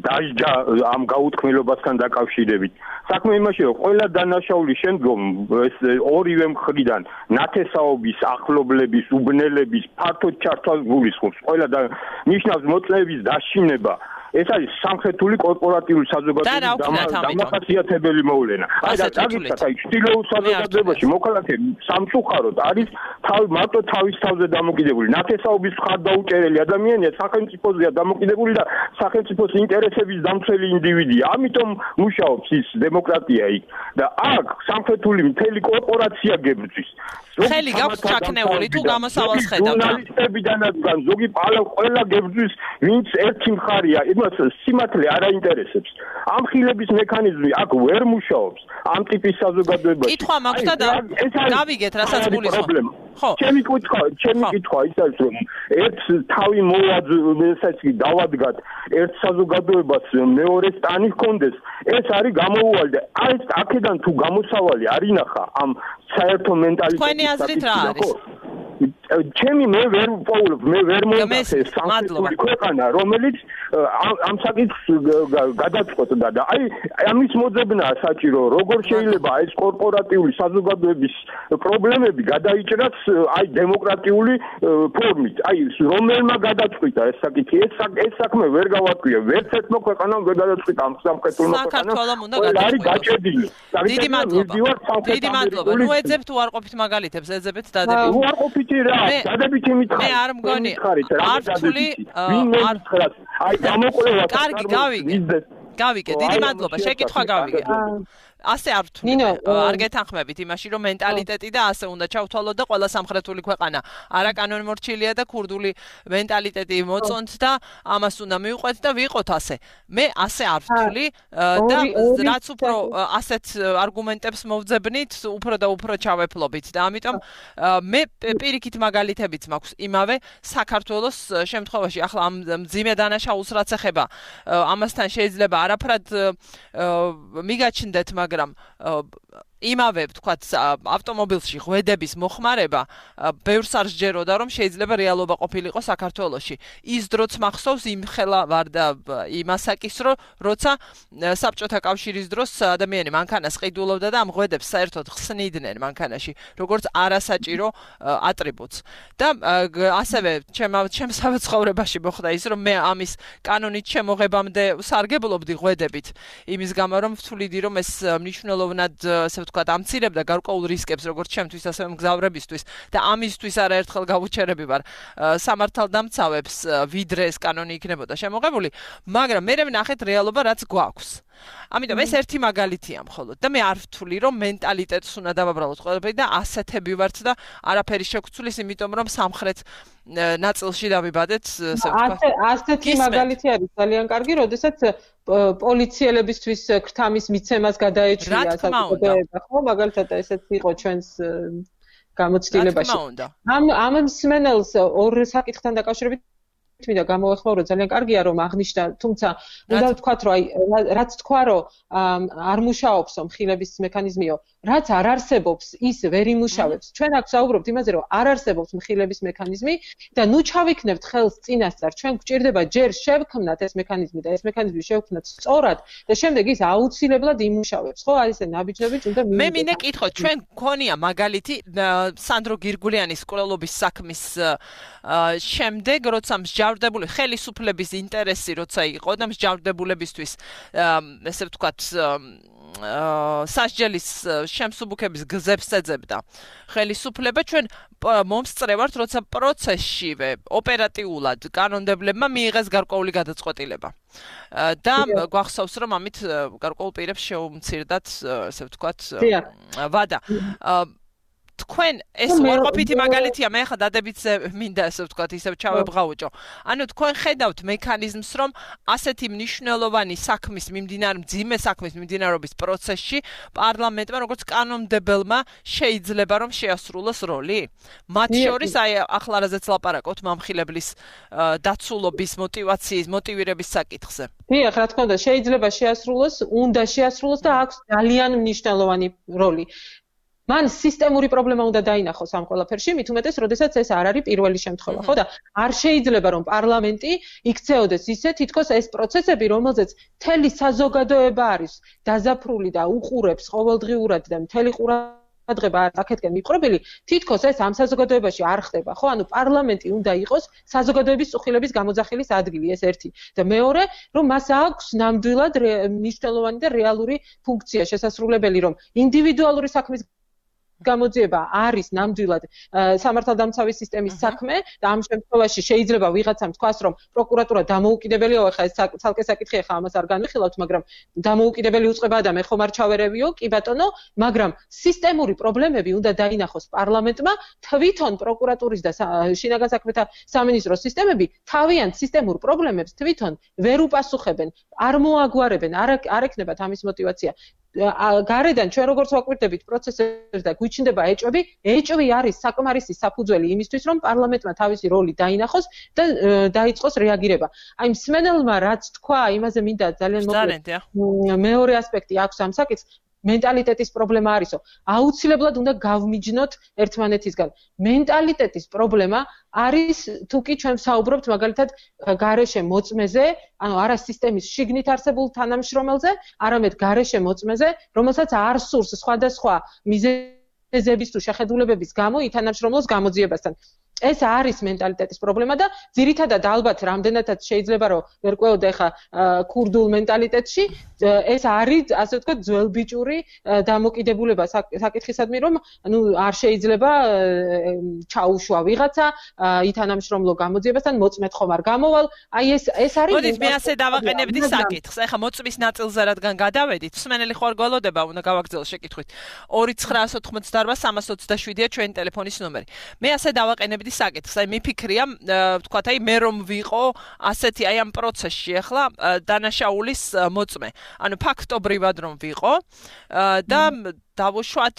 დაჟჯა ამ გაუთქმელობასთან დაკავშირებით. საქმე იმაში, რომ ყველა დანაშაულის შემდგომ ეს ორივე მხრიდან ნათესაობის, ახლობლების, უბნელების ფართოდ ჩართვას გულისხმობს. ყველა და ნიშნავს მოწმეების დაშინება. ეს არის სამხრეთული კორპორატიული საზოგადოების დამახასიათებელი მოვლენა. აი და დაგიცხადეთ, აი ჩრდილოეთ საზოგადოებაში მოქალაქეები სამწუხაროდ არის თავი მარტო თავის თავზე დამოკიდებული. ნათესაობის მხარდაუჭერელი ადამიანია, სახელმწიფოზეა დამოკიდებული და სახელმწიფოს ინტერესების დამცველი ინდივიდია. ამიტომ მუშაობს ის დემოკრატია იქ და აქ სამხრეთული მთელი კორპორაცია გებრძვის. ხელი გაქვს ჩაქნეული თუ გამოსავალს ხედავთ? ჟურნალისტებიდანაც ზოგი პალა ყველა გებრძვის, ვინც ერთი მხარია. სიმართლე არ აინტერესებს. ამ ხილების მექანიზმი აქ ვერ მუშაობს. ამ ტიპის საზოგადოებაში. კითხვა მაქვს და გავიგეთ, რასაც გულისხმობ. ხო. ჩემი კითხვა, ჩემი კითხვა ის არის, რომ ერთ თავი მოვაძვესაც დავადგათ, ერთ საზოგადოებას მეორეს ტანი ჰქონდეს. ეს არის გამოუვალი და აი აქედან თუ გამოსავალი არ ინახა ამ საერთო მენტალიტეტის. თქვენი აზრით რა არის? ჩემი მე ვერ პოულობ, მე ვერ მომწეს სამწუხაროდ ქვეყანა, რომელიც ამ საკითხს გადაწყვეტდა და აი ამის მოძებნაა საჭირო, როგორ შეიძლება ეს კორპორატიული საზოგადოების პრობლემები გადაიჭრას აი დემოკრატიული ფორმით. აი რომელმა გადაწყვიტა ეს საკითხი, ეს ეს საქმე ვერ გავატყვია, ვერც ერთმა ქვეყანამ ვერ გადაწყვიტა ამ სამხედრო საქართველოს უნდა გადაწყვიტოს. დიდი მადლობა. დიდი მადლობა. ნუ ეძებთ უარყოფით მაგალითებს, ეძებეთ დადებით. უარყოფითი რა, დადებითი მითხარი. მე არ მგონი. არ თვლი არ აი გამოკვლევა. კარგი, გავიგე. გავიგე, დიდი მადლობა, შეკითხვა გავიგე. ასე არ ვთვლი. არ გეთანხმებით იმაში, რომ მენტალიტეტი და ასე უნდა ჩავთვალოთ და ყველა სამხრეთული ქვეყანა არაკანონმორჩილია და ქურდული მენტალიტეტი მოწონთ და ამას უნდა მივყვეთ და ვიყოთ ასე. მე ასე არ ვთვლი და რაც უფრო ასეთ არგუმენტებს მოვძებნით, უფრო და უფრო ჩავეფლობით და ამიტომ მე პირიქით მაგალითებიც მაქვს იმავე საქართველოს შემთხვევაში. ახლა ამ მძიმე დანაშაულს რაც ეხება, ამასთან შეიძლება არაფრად მიგაჩნდეთ, მაგრამ იმავე ვთქვათ ავტომობილში ღვედების მოხმარება ბევრს არ სჯეროდა რომ შეიძლება რეალობა ყოფილიყო საქართველოში. ის დროც მახსოვს იმ ხელა ვარ და იმასაკის რო როცა საბჭოთა კავშირის დროს ადამიანი მანქანას ყიდულობდა და ამ ღვედებს საერთოდ ხსნიდნენ მანქანაში როგორც არასაჭირო ატრიბუტს. და ასევე ჩემსავე ცხოვრებაში მოხდა ის რომ მე ამის კანონით შემოღებამდე სარგებლობდი ღვედებით იმის გამო რომ ვთვლიდი რომ ეს მნიშვნელოვნად თქვა ამცირებდა გარკვეულ რისკებს როგორც ჩემთვის ასევე მგზავრებისთვის და ამისთვის არაერთხელ გავუჩერები ვარ სამართალდამცავებს ვიდრე ეს კანონი იქნებოდა შემოღებული, მაგრამ მე ვნახეთ რეალობა რაც გვაქვს. ამიტომ ეს ერთი მაგალითია მხოლოდ და მე არ ვთვლი რომ მენტალიტეტს უნდა დავაბრალოთ ყველაფერი და ასეთები ვართ და არაფერი შეგვცვლის იმიტომ რომ სამხრეთ ნაწილში დავიბადეთ ასე ვთქვათ. ასეთი მაგალითი არის ძალიან კარგი, როდესაც პოლიციელებისთვის ქრთამის მიცემას გადაეჭრია საზოგადოება, ხო? მაგალითად ესეც იყო ჩვენს გამოცდილებაში. ამ ამ მსმენელს ორ საკითხთან დაკავშირებით მინდა გამოვეხმაურო ძალიან კარგია რომ აღნიშნა თუმცა უნდა ვთქვათ რომ აი რაც თქვა რომ არ მუშაობს მხილების მექანიზმიო რაც არ არსებობს ის ვერ იმუშავებს ჩვენ აქ საუბრობთ იმაზე რომ არ არსებობს მხილების მექანიზმი და ნუ ჩავიქნებთ ხელს წინასწარ ჩვენ გვჭირდება ჯერ შევქმნათ ეს მექანიზმი და ეს მექანიზმი შევქმნათ სწორად და შემდეგ ის აუცილებლად იმუშავებს ხო აი ესე ნაბიჯებით უნდა მე მინდა კითხოთ ჩვენ გქონია მაგალითი სანდრო გირგულიანის კვლელობის საქმის შემდეგ როცა მსჯავრდებული ხელისუფლების ინტერესი როცა იყო და მსჯავრდებულებისთვის ესე ვთქვათ სასჯელის შემსუბუქების გზებს ეძებდა ხელისუფლება ჩვენ მომსწრევართ როცა პროცესშივე ოპერატიულად კანონმდებლებმა მიიღეს გარკვეული გადაწყვეტილება და გვახსოვს რომ ამით გარკვეულ პირებს შეუმცირდათ ესე ვთქვათ ვადა თქვენ ეს უარყოფითი მაგალითია მე ხა დადებითზე მინდა ესე ვთქვათ ისევ ჩავებღაუჭო ანუ თქვენ ხედავთ მექანიზმს რომ ასეთი მნიშვნელოვანი საქმის მიმდინარე მძიმე საქმის მიმდინარეობის პროცესში პარლამენტმა როგორც კანონმდებელმა შეიძლება რომ შეასრულოს როლი მათ შორის აი ახლა რაზეც ლაპარაკობთ მამხილებლის დაცულობის мотиваციის мотивირების საკითხზე დიახ რა თქმა უნდა შეიძლება შეასრულოს უნდა შეასრულოს და აქვს ძალიან მნიშვნელოვანი როლი მან სისტემური პრობლემა უნდა დაინახოს ამ ყველაფერში, მით უმეტეს, როდესაც ეს არ არის პირველი შემთხვევა, ხო და არ შეიძლება რომ პარლამენტი იქცეოდეს ისე, თითქოს ეს პროცესები, რომელზეც მთელი საზოგადოება არის დაზაფრული და უყურებს ყოველდღიურად და მთელი ყურადღება არის აქეთკენ მიყრობილი, თითქოს ეს ამ საზოგადოებაში არ ხდება, ხო? ანუ პარლამენტი უნდა იყოს საზოგადოების წუხილების გამოძახილის ადგილი, ეს ერთი. და მეორე, რომ მას აქვს ნამდვილად მნიშვნელოვანი და რეალური ფუნქცია შესასრულებელი, რომ ინდივიდუალური საქმის გამოძიება არის ნამდვილად სამართალდამცავი სისტემის საქმე და ამ შემთხვევაში შეიძლება ვიღაცამ თქვას რომ პროკურატურა დამოუკიდებელია ხო ეს ცალკე საკითხია ხა ამას არ განვიხილავთ მაგრამ დამოუკიდებელი უწყება და მე ხომ არ ჩავერევიო კი ბატონო მაგრამ სისტემური პრობლემები უნდა დაინახოს პარლამენტმა თვითონ პროკურატურის და შინაგან საქმეთა სამინისტროს სისტემები თავიანთ სისტემურ პრობლემებს თვითონ ვერ უპასუხებენ არ მოაგვარებენ არ არ ექნებათ ამის мотиваცია გარედან ჩვენ როგორც ვაკვირდებით პროცესებს და გვიჩნდება ეჭვები, ეჭვი არის საკმარისი საფუძველი იმისთვის, რომ პარლამენტმა თავისი როლი დაინახოს და დაიწყოს რეაგირება. აი მსმენელმა რაც თქვა, იმაზე მინდა ძალიან მოკლედ მეორე ასპექტი აქვს ამ საკითხს, მენტალიტეტის პრობლემა არისო. აუცილებლად უნდა გავმიჯნოთ ერთმანეთისგან. მენტალიტეტის პრობლემა არის თუ კი ჩვენ საუბრობთ მაგალითად გარეშე მოწმეზე, ანუ არა სისტემის შიგნით არსებულ თანამშრომელზე, არამედ გარეშე მოწმეზე, რომელსაც არ სურს სხვადასხვა მიზეზების თუ შეხედულებების გამო ითანამშრომლოს გამოძიებასთან. ეს არის მენტალიტეტის პრობლემა და ძირითადად ალბათ რამდენადაც შეიძლება რომ ვერ ყვეოდე ხა ქურდულ მენტალიტეტში ეს არის ასე ვთქვათ ძველბიჭური დამოკიდებულება საკითხისადმი რომ ნუ არ შეიძლება ჩაუშვა ვიღაცა ითანამშრომლო გამოძიებასთან მოწმეთ ხომ არ გამოვალ აი ეს ეს არის მოდით მე ასე დავაყენებდი საკითხს ეხა მოწმის ნაწილზე რადგან გადავედით მსმენელი ხوار გველოდება უნდა გავაგრძელო შეკითხვით ორი ცხრა ოცდაოთხმოცდაარბა სამას ოცდაშვიდია ჩვენი ტელეფონის ნომერი მე ასე დავაყენებდი საკითხს აი მიფიქრია ვთქვათ აი მე რომ ვიყო ასეთი აი ამ პროცესში ახლა დანაშაულის მოწმე ანუ ფაქტობრივად რომ ვიყო და დავუშვათ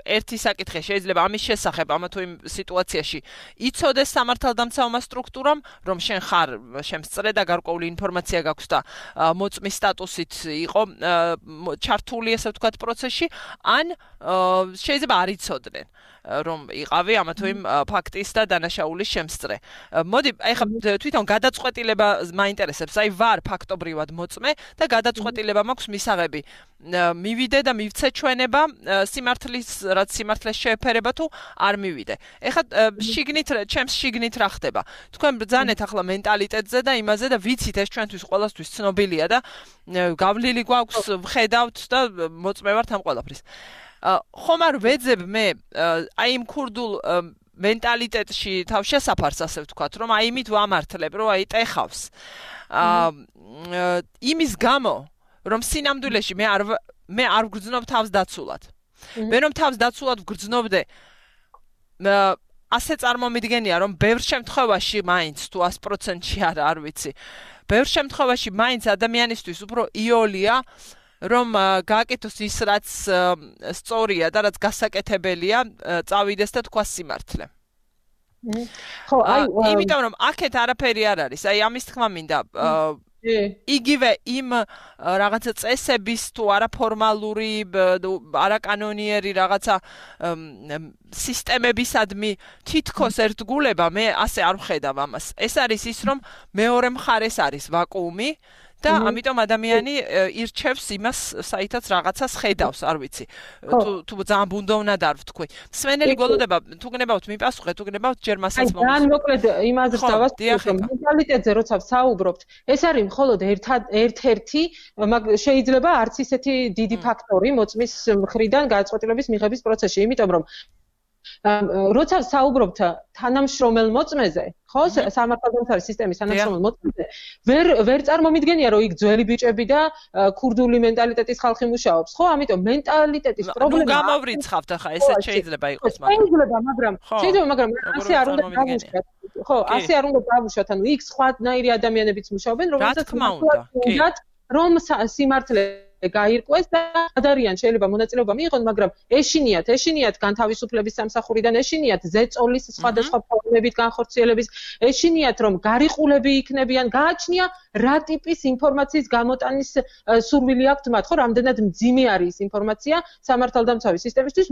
ერთი საკითხი შეიძლება ამის შესახებ ამა თუ იმ სიტუაციაში იცოდეს სამართალდამცავმა სტრუქტურამ რომ შენ ხარ შემსწრე და გარკვეული ინფორმაცია გაქვს და მოწმის სტატუსით იყო ჩართული ესე ვთქვათ პროცესში ან შეიძლება არ იცოდნენ რომ იყავი ამა თუ იმ ფაქტის და დანაშაულის შემსწრე. მოდი, ეხლა თვითონ გადაწყვეტილება მაინტერესებს. აი ვარ ფაქტობრივად მოწმე და გადაწყვეტილება მაქვს მისაღები. მივიდე და მივცე ჩვენება სიმართლის რაც სიმართლეს შეეფერება თუ არ მივიდე. ეხლა შიგნით ჩემს შიგნით რა ხდება? თქვენ ბრძანეთ ახლა მენტალიტეტზე და იმაზე და ვიცით ეს ჩვენთვის ყველასთვის ცნობილია და გავლილი გვაქვს ვხედავთ და მოწმე ვართ ამ ყველაფრის. ხომ არ ვეძებ მე აი იმ ქურდულ მენტალიტეტში თავშესაფარს ასე ვთქვათ რომ აი იმით ვამართლებ რომ აი ტეხავს იმის გამო რომ სინამდვილეში მე არ მე არ ვგრძნობ თავს დაცულად მე რომ თავს დაცულად ვგრძნობდე ასე წარმომიდგენია რომ ბევრ შემთხვევაში მაინც თუ ას პროცენტში არა არ ვიცი ბევრ შემთხვევაში მაინც ადამიანისთვის უფრო იოლია რომ გააკეთოს ის რაც სწორია და რაც გასაკეთებელია წავიდეს და თქვა სიმართლე. ხო, აი, იმიტომ რომ აქეთ არაფერი არ არის. აი, ამის თქმა მინდა იგივე იმ რაღაცა წესების თუ არაფორმალური, არაკანონიერი რაღაცა სისტემებისადმი თითქოს ერთგულება მე ასე არ ვხედავ ამას. ეს არის ის, რომ მეორე მხარეს არის ვაკუუმი და ამიტომ ადამიანი ირჩევს იმას, საითაც რაღაცას ხედავს, არ ვიცი. თუ თუ ძალიან ბუნდოვნად არ ვთქვი. მსმენელი გველოდება, თუ გნებავთ მიპასუხეთ, თუ გნებავთ ჯერ მასაც მომს. აი, ძალიან მოკლედ იმაზრს დავასრულებ, რომ მენტალიტეტზე როცა ვსაუბრობთ, ეს არის მხოლოდ ერთ-ერთი, შეიძლება არც ისეთი დიდი ფაქტორი მოწმის მხრიდან გადაწყვეტილების მიღების პროცესში, იმიტომ რომ როცა საუბრობთ თანამშრომელ მოწმეზე, ხო, სამართალდამცავი სისტემის თანამშრომელ მოწმეზე, ვერ ვერ წარმომიდგენია, რომ იქ ძველი ბიჭები და ქურდული მენტალიტეტის ხალხი მუშაობს, ხო? ამიტომ მენტალიტეტის პრობლემა. ნუ გამოვრიცხავთ ახლა, ესეც შეიძლება იყოს, მაგრამ შეიძლება, მაგრამ შეიძლება, მაგრამ ასე არ უნდა დავუშვათ. ხო, ასე არ უნდა დავუშვათ, ანუ იქ სხვანაირი ადამიანებიც მუშაობენ, რომელთაც უნდათ რომ სიმართლე გაირკვეს და ადარიან შეიძლება მონაწილეობა მიიღონ, მაგრამ ეშინიათ, ეშინიათ განთავისუფლების სამსახურიდან, ეშინიათ ზეწოლის სხვადასხვა ფორმებით განხორციელების, ეშინიათ რომ გარიყულები იქნებიან, გააჩნია რა ტიპის ინფორმაციის გამოტანის სურვილი აქვთ მათ, ხო, რამდენად მძიმე არის ინფორმაცია სამართალდამცავი სისტემისთვის,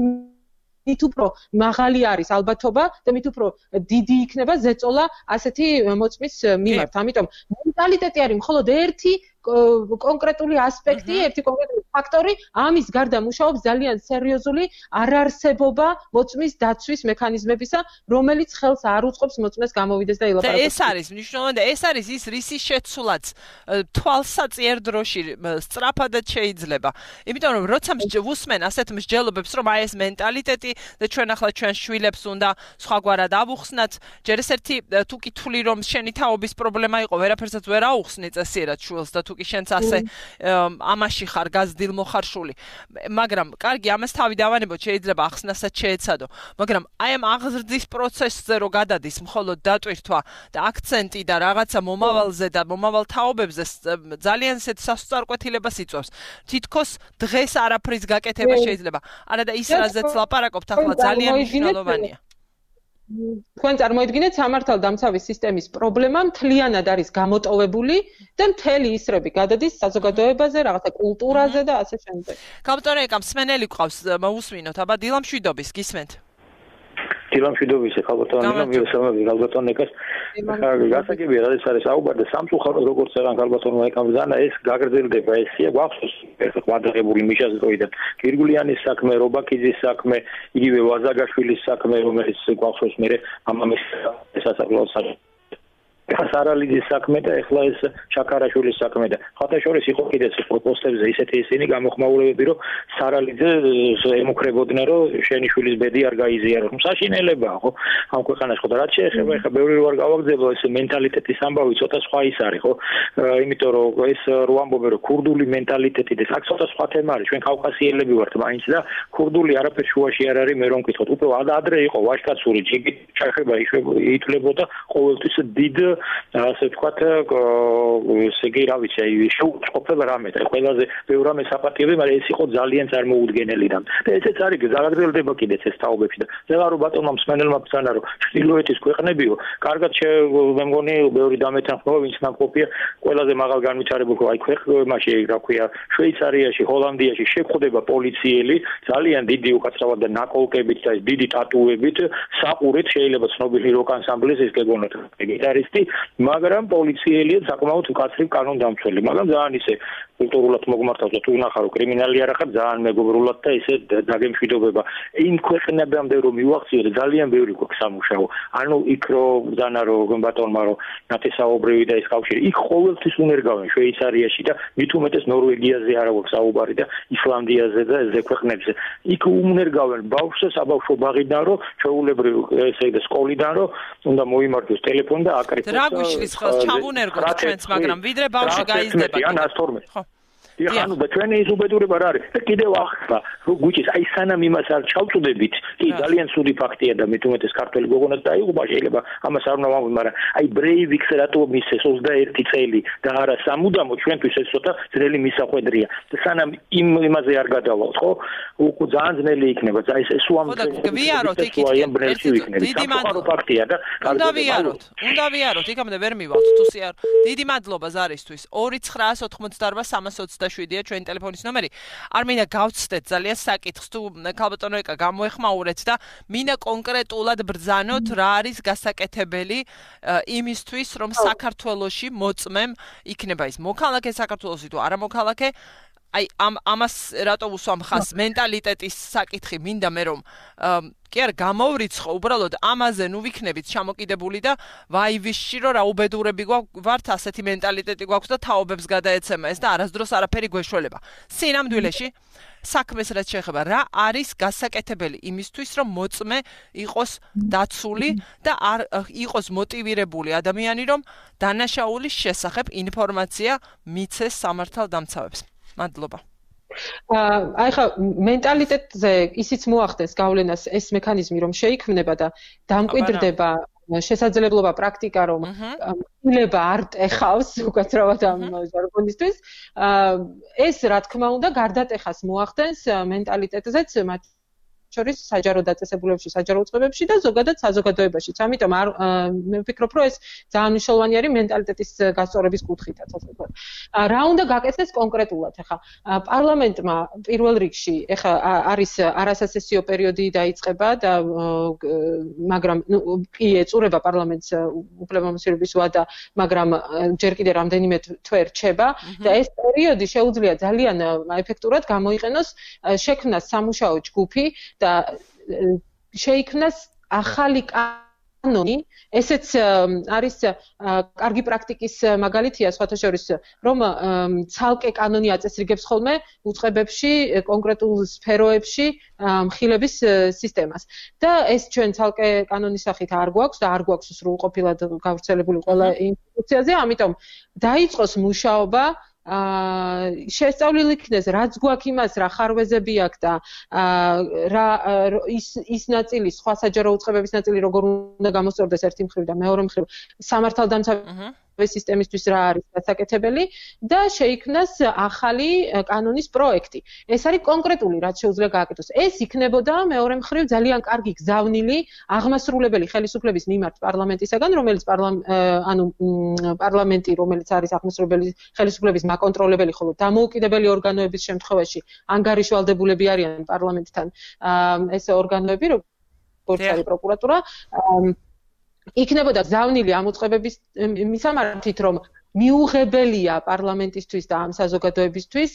მით უფრო მაღალი არის ალბათობა და მით უფრო დიდი იქნება ზეწოლა ასეთი მოწმის მიმართ. ამიტომ მენტალიტეტი არის მხოლოდ ერთი კონკრეტული ასპექტი, ერთი კონკრეტული ფაქტორი, ამის გარდა მუშაობს ძალიან სერიოზული არარსებობა მოწმის დაცვის მექანიზმებისა, რომელიც ხელს არ უწყობს მოწმეს გამოვიდეს და ილაპარაკოს. და ეს არის მნიშვნელოვანი და ეს არის ის რისის შეცვლაც თვალსაწიერ დროში სწრაფადაც შეიძლება. იმიტომ რომ როცა ვუსმენ ასეთ მსჯელობებს, რომ აი ეს მენტალიტეტი და ჩვენ ახლა ჩვენ შვილებს უნდა სხვაგვარად ავუხსნათ, ჯერ ეს ერთი თუ კითხული რომ შენი თაობის პრობლემა იყო, ვერაფერსაც ვერ აუხსნი წესიერად შვილს და თუ კი შენც ასე ამაში ხარ გაზრდილ მოხარშული. მაგრამ კარგი, ამას თავი დავანებოთ, შეიძლება ახსნასაც შეეცადო. მაგრამ აი ამ აღზრდის პროცესზე რო გადადის მხოლოდ დატვირთვა და აქცენტი და რაღაცა მომავალზე და მომავალ თაობებზე ძალიან ისეთ სასწარკვეთილებას იწვევს. თითქოს დღეს არაფრის გაკეთება შეიძლება. არა და ის რაზეც ლაპარაკობთ ახლა ძალიან მნიშვნელოვანია. თქვენ წარმოიდგინეთ სამართალდამცავი სისტემის პრობლემა მთლიანად არის გამოტოვებული და მთელი ისრები გადადის საზოგადოებაზე, რაღაცა კულტურაზე და ასე შემდეგ. კაპიტონე ეკამ მსმენელი გყავს, მოусვინოთ, აბა დილა მშვიდობის, გისმენთ? დილა მშვიდობის, ხალბატონო, მივესალმები ხალბატონ ეკას. გასაგებია, რადგან არის საუბარი სამწუხაროდ როგორც აღარ ხალბატონო ეკამ ზანა ეს გაგრძელდება, ესია გვახსოვს ერთ ყადაღებული მიშას დროიდან. გირგულიანის საქმე, რობაქიძის საქმე, იგივე ვაზაგაშვილის საქმე, რომელიც გვახსოვს მე ამამის სასწავლო საქმე. ხასარალიძის საქმე და ეხლა ეს შაქარაშვილის საქმე და ხათაშორის იყო კიდეც პოსტებზე ისეთი ისინი გამოხმაურებები, რომ სარალიძე ემუქრებოდნენ, რომ შენი შვილის ბედი არ გაიზიაროს. საშინელებაა, ხო? ამ ქვეყანაში ხო და რაც შეეხება, ეხლა ბევრი რო არ გავაგზავნო, ეს მენტალიტეტის ამბავი ცოტა სხვა ის არის, ხო? იმიტომ რომ ეს რო ამბობენ, რომ ქურდული მენტალიტეტი და აქ ცოტა სხვა თემა არის. ჩვენ კავკასიელები ვართ მაინც და ქურდული არაფერ შუაში არ არის, მე რომ ვკითხოთ. უბრალოდ ადრე იყო ვაჟკაცური ჯიგი ჩახება ითვლებოდა ყოველთვის დიდ ასე ვთქვათ, ესე იგი, რა ვიცი, აი შეუწყობება რამე და ყველაზე ბევრ რამე საპატიოები, მაგრამ ეს იყო ძალიან წარმოუდგენელი და ესეც არის გაგრძელდება კიდეც ეს თაობებში და ზეღარო ბატონმა მსმენელმა ბრძანა, რომ ჩრდილოეთის ქვეყნებიო, კარგად მე მგონი ბევრი დამეთანხმება, ვინც ნამყოფია ყველაზე მაღალ განვითარებულ აი ქვეყნებში, რა ქვია, შვეიცარიაში, ჰოლანდიაში შეხვდება პოლიციელი ძალიან დიდი უკაცრავად და ნაკოლკებით და დიდი ტატუებით, საყურით შეიძლება ცნობილი როკ ანსამბლის ეს გეგონოთ გიტარისტი, მაგრამ პოლიციელია საკმაოდ მკაცრი კანონდამცველი, მაგრამ ძალიან ისე კულტურულად მოგმართავს და თუ ნახა რომ კრიმინალი არ ახარ ძალიან მეგობრულად და ისე დაგემშვიდობება. იმ ქვეყნებამდე რომ მივახციოთ ძალიან ბევრი გვაქვს სამუშაო. ანუ იქ რომ ბრძანა რომ ბატონმა რომ ნათესაობრივი და ეს კავშირი იქ ყოველთვის უნერგავენ შვეიცარიაში და მით უმეტეს ნორვეგიაზე არა გვაქვს საუბარი და ისლანდიაზე და ეს ქვეყნებზე. იქ უნერგავენ ბავშვს საბავშვო ბაღიდან რომ ჩვეულებრივ ესე და სკოლიდან რომ უნდა მოიმართოს ტელეფონი და აკრიფოს. რა გვიშლის ხელს ჩავუნერგოთ ჩვენც, მაგრამ ვიდრე ბავშვი გაიზრდება. ან ათორმეტი. ხო. ეხანო და ჩვენი ის უბედურება რა არის და კიდევ ახლა გუჩის აი სანამ იმას არ ჩავწუდებით კი ძალიან ცუდი ფაქტია და მით უმეტეს ქართველი გოგონაც დაიღუპა შეიძლება ამას არ უნდა ვამბობ მაგრამ აი ბრეივიქს რატო მისცეს ოცდაერთი წელი და არა სამუდამო ჩვენთვის ეს ცოტა ძნელი მისახვედრია და სანამ იმ იმაზე არ გადავალთ ხო უკვე ძალიან ძნელი იქნება და ეს ეს უამრავი გვიაროთ იქით დიდი მადლობა ფაქტია და უნდა ვიაროთ უნდა ვიაროთ იქამდე ვერ მივალთ თუ სიარ დიდი მადლობა ზარისთვის ორი ცხრაას ოთხმოცდაორბა სამას ოცდაშვიდია ჩვენი ტელეფონის ნომერი არ მინდა გავცდეთ ძალიან საკითხს თუ ქალბატონო ეკა გამოეხმაურეთ და მინდა კონკრეტულად ბრძანოთ რა არის გასაკეთებელი იმისთვის რომ საქართველოში მოწმემ იქნება ის მოქალაქე საქართველოსი თუ არა მოქალაქე აი ამ ამას რატო უსვამ ხას მენტალიტეტის საკითხი მინდა მე რომ კი არ გამოვრიცხო უბრალოდ ამაზე ნუ ვიქნებით ჩამოკიდებული და ვაივისში რომ რა უბედურები გვაქვს ასეთი მენტალიტეტი გვაქვს და თაობებს გადაეცემა ეს და არასდროს არაფერი გვეშველება სინამდვილეში საქმეს რაც შეეხება რა არის გასაკეთებელი იმისთვის რომ მოწმე იყოს დაცული და არ იყოს მოტივირებული ადამიანი რომ დანაშაულის შესახებ ინფორმაცია მიცეს სამართალდამცავებს მადლობა აი ხა მენტალიტეტზე ისიც მოახდენს გავლენას ეს მექანიზმი რომ შეიქმნება და დამკვიდრდება შესაძლებლობა პრაქტიკა რომ ილება არ ტეხავს უკაცრავად ამ ჟარგონისთვის ეს რა თქმა უნდა გარდატეხას მოახდენს მენტალიტეტზეც მათ შორის საჯარო დაწესებულებებში, საჯარო უწყებებში და ზოგადად საზოგადოებაშიც. ამიტომ არ მე ვფიქრობ, რომ ეს ძალიან მნიშვნელოვანი არის მენტალიტეტის გასწორების კუთხითაც, ასე ვთქვათ. რა უნდა გაკეთდეს კონკრეტულად, ეხა პარლამენტმა პირველ რიგში, ეხა არის არასასესიო პერიოდი დაიწყება და მაგრამ კი ეწურება პარლამენტს უფლებამოსილების ვადა, მაგრამ ჯერ კიდევ რამდენიმე თვე რჩება და ეს პერიოდი შეუძლია ძალიან ეფექტურად გამოიყენოს შექმნას სამუშაო ჯგუფი და შეიქმნას ახალი კანონი, ესეც არის კარგი პრაქტიკის მაგალითია სხვათა შორის, რომ ცალკე კანონი აწესრიგებს ხოლმე უწყებებში, კონკრეტულ სფეროებში მხილების სისტემას. და ეს ჩვენ ცალკე კანონის სახით არ გვაქვს და არ გვაქვს სრულყოფილად გავრცელებული ყველა ინსტიტუციაზე, ამიტომ დაიწყოს მუშაობა აა შესწავლილი იქნეს რაც გვაქვს იმას რა ხარვეზები აქვს და რა ის ის ნაწილი სხვა საჯარო უწყებების ნაწილი როგორ უნდა გამოსწორდეს ერთი მხრივ და მეორე მხრივ სამართალდამცავი სისტემისთვის რა არის გასაკეთებელი და შეიქმნას ახალი კანონის პროექტი. ეს არის კონკრეტული რაც შეუძლია გააკეთოს. ეს იქნებოდა მეორე მხრივ ძალიან კარგი გზავნილი აღმასრულებელი ხელისუფლების მიმართ პარლამენტისაგან, რომელიც ანუ პარლამენტი, რომელიც არის აღმასრულებელი ხელისუფლების მაკონტროლებელი, ხოლო დამოუკიდებელი ორგანოების შემთხვევაში ანგარიშვალდებულები არიან პარლამენტთან ეს ორგანოები, როგორც არის პროკურატურა. იქნებოდა გზავნილი ამ უწყებების მისამართით, რომ მიუღებელია პარლამენტისთვის და ამ საზოგადოებისთვის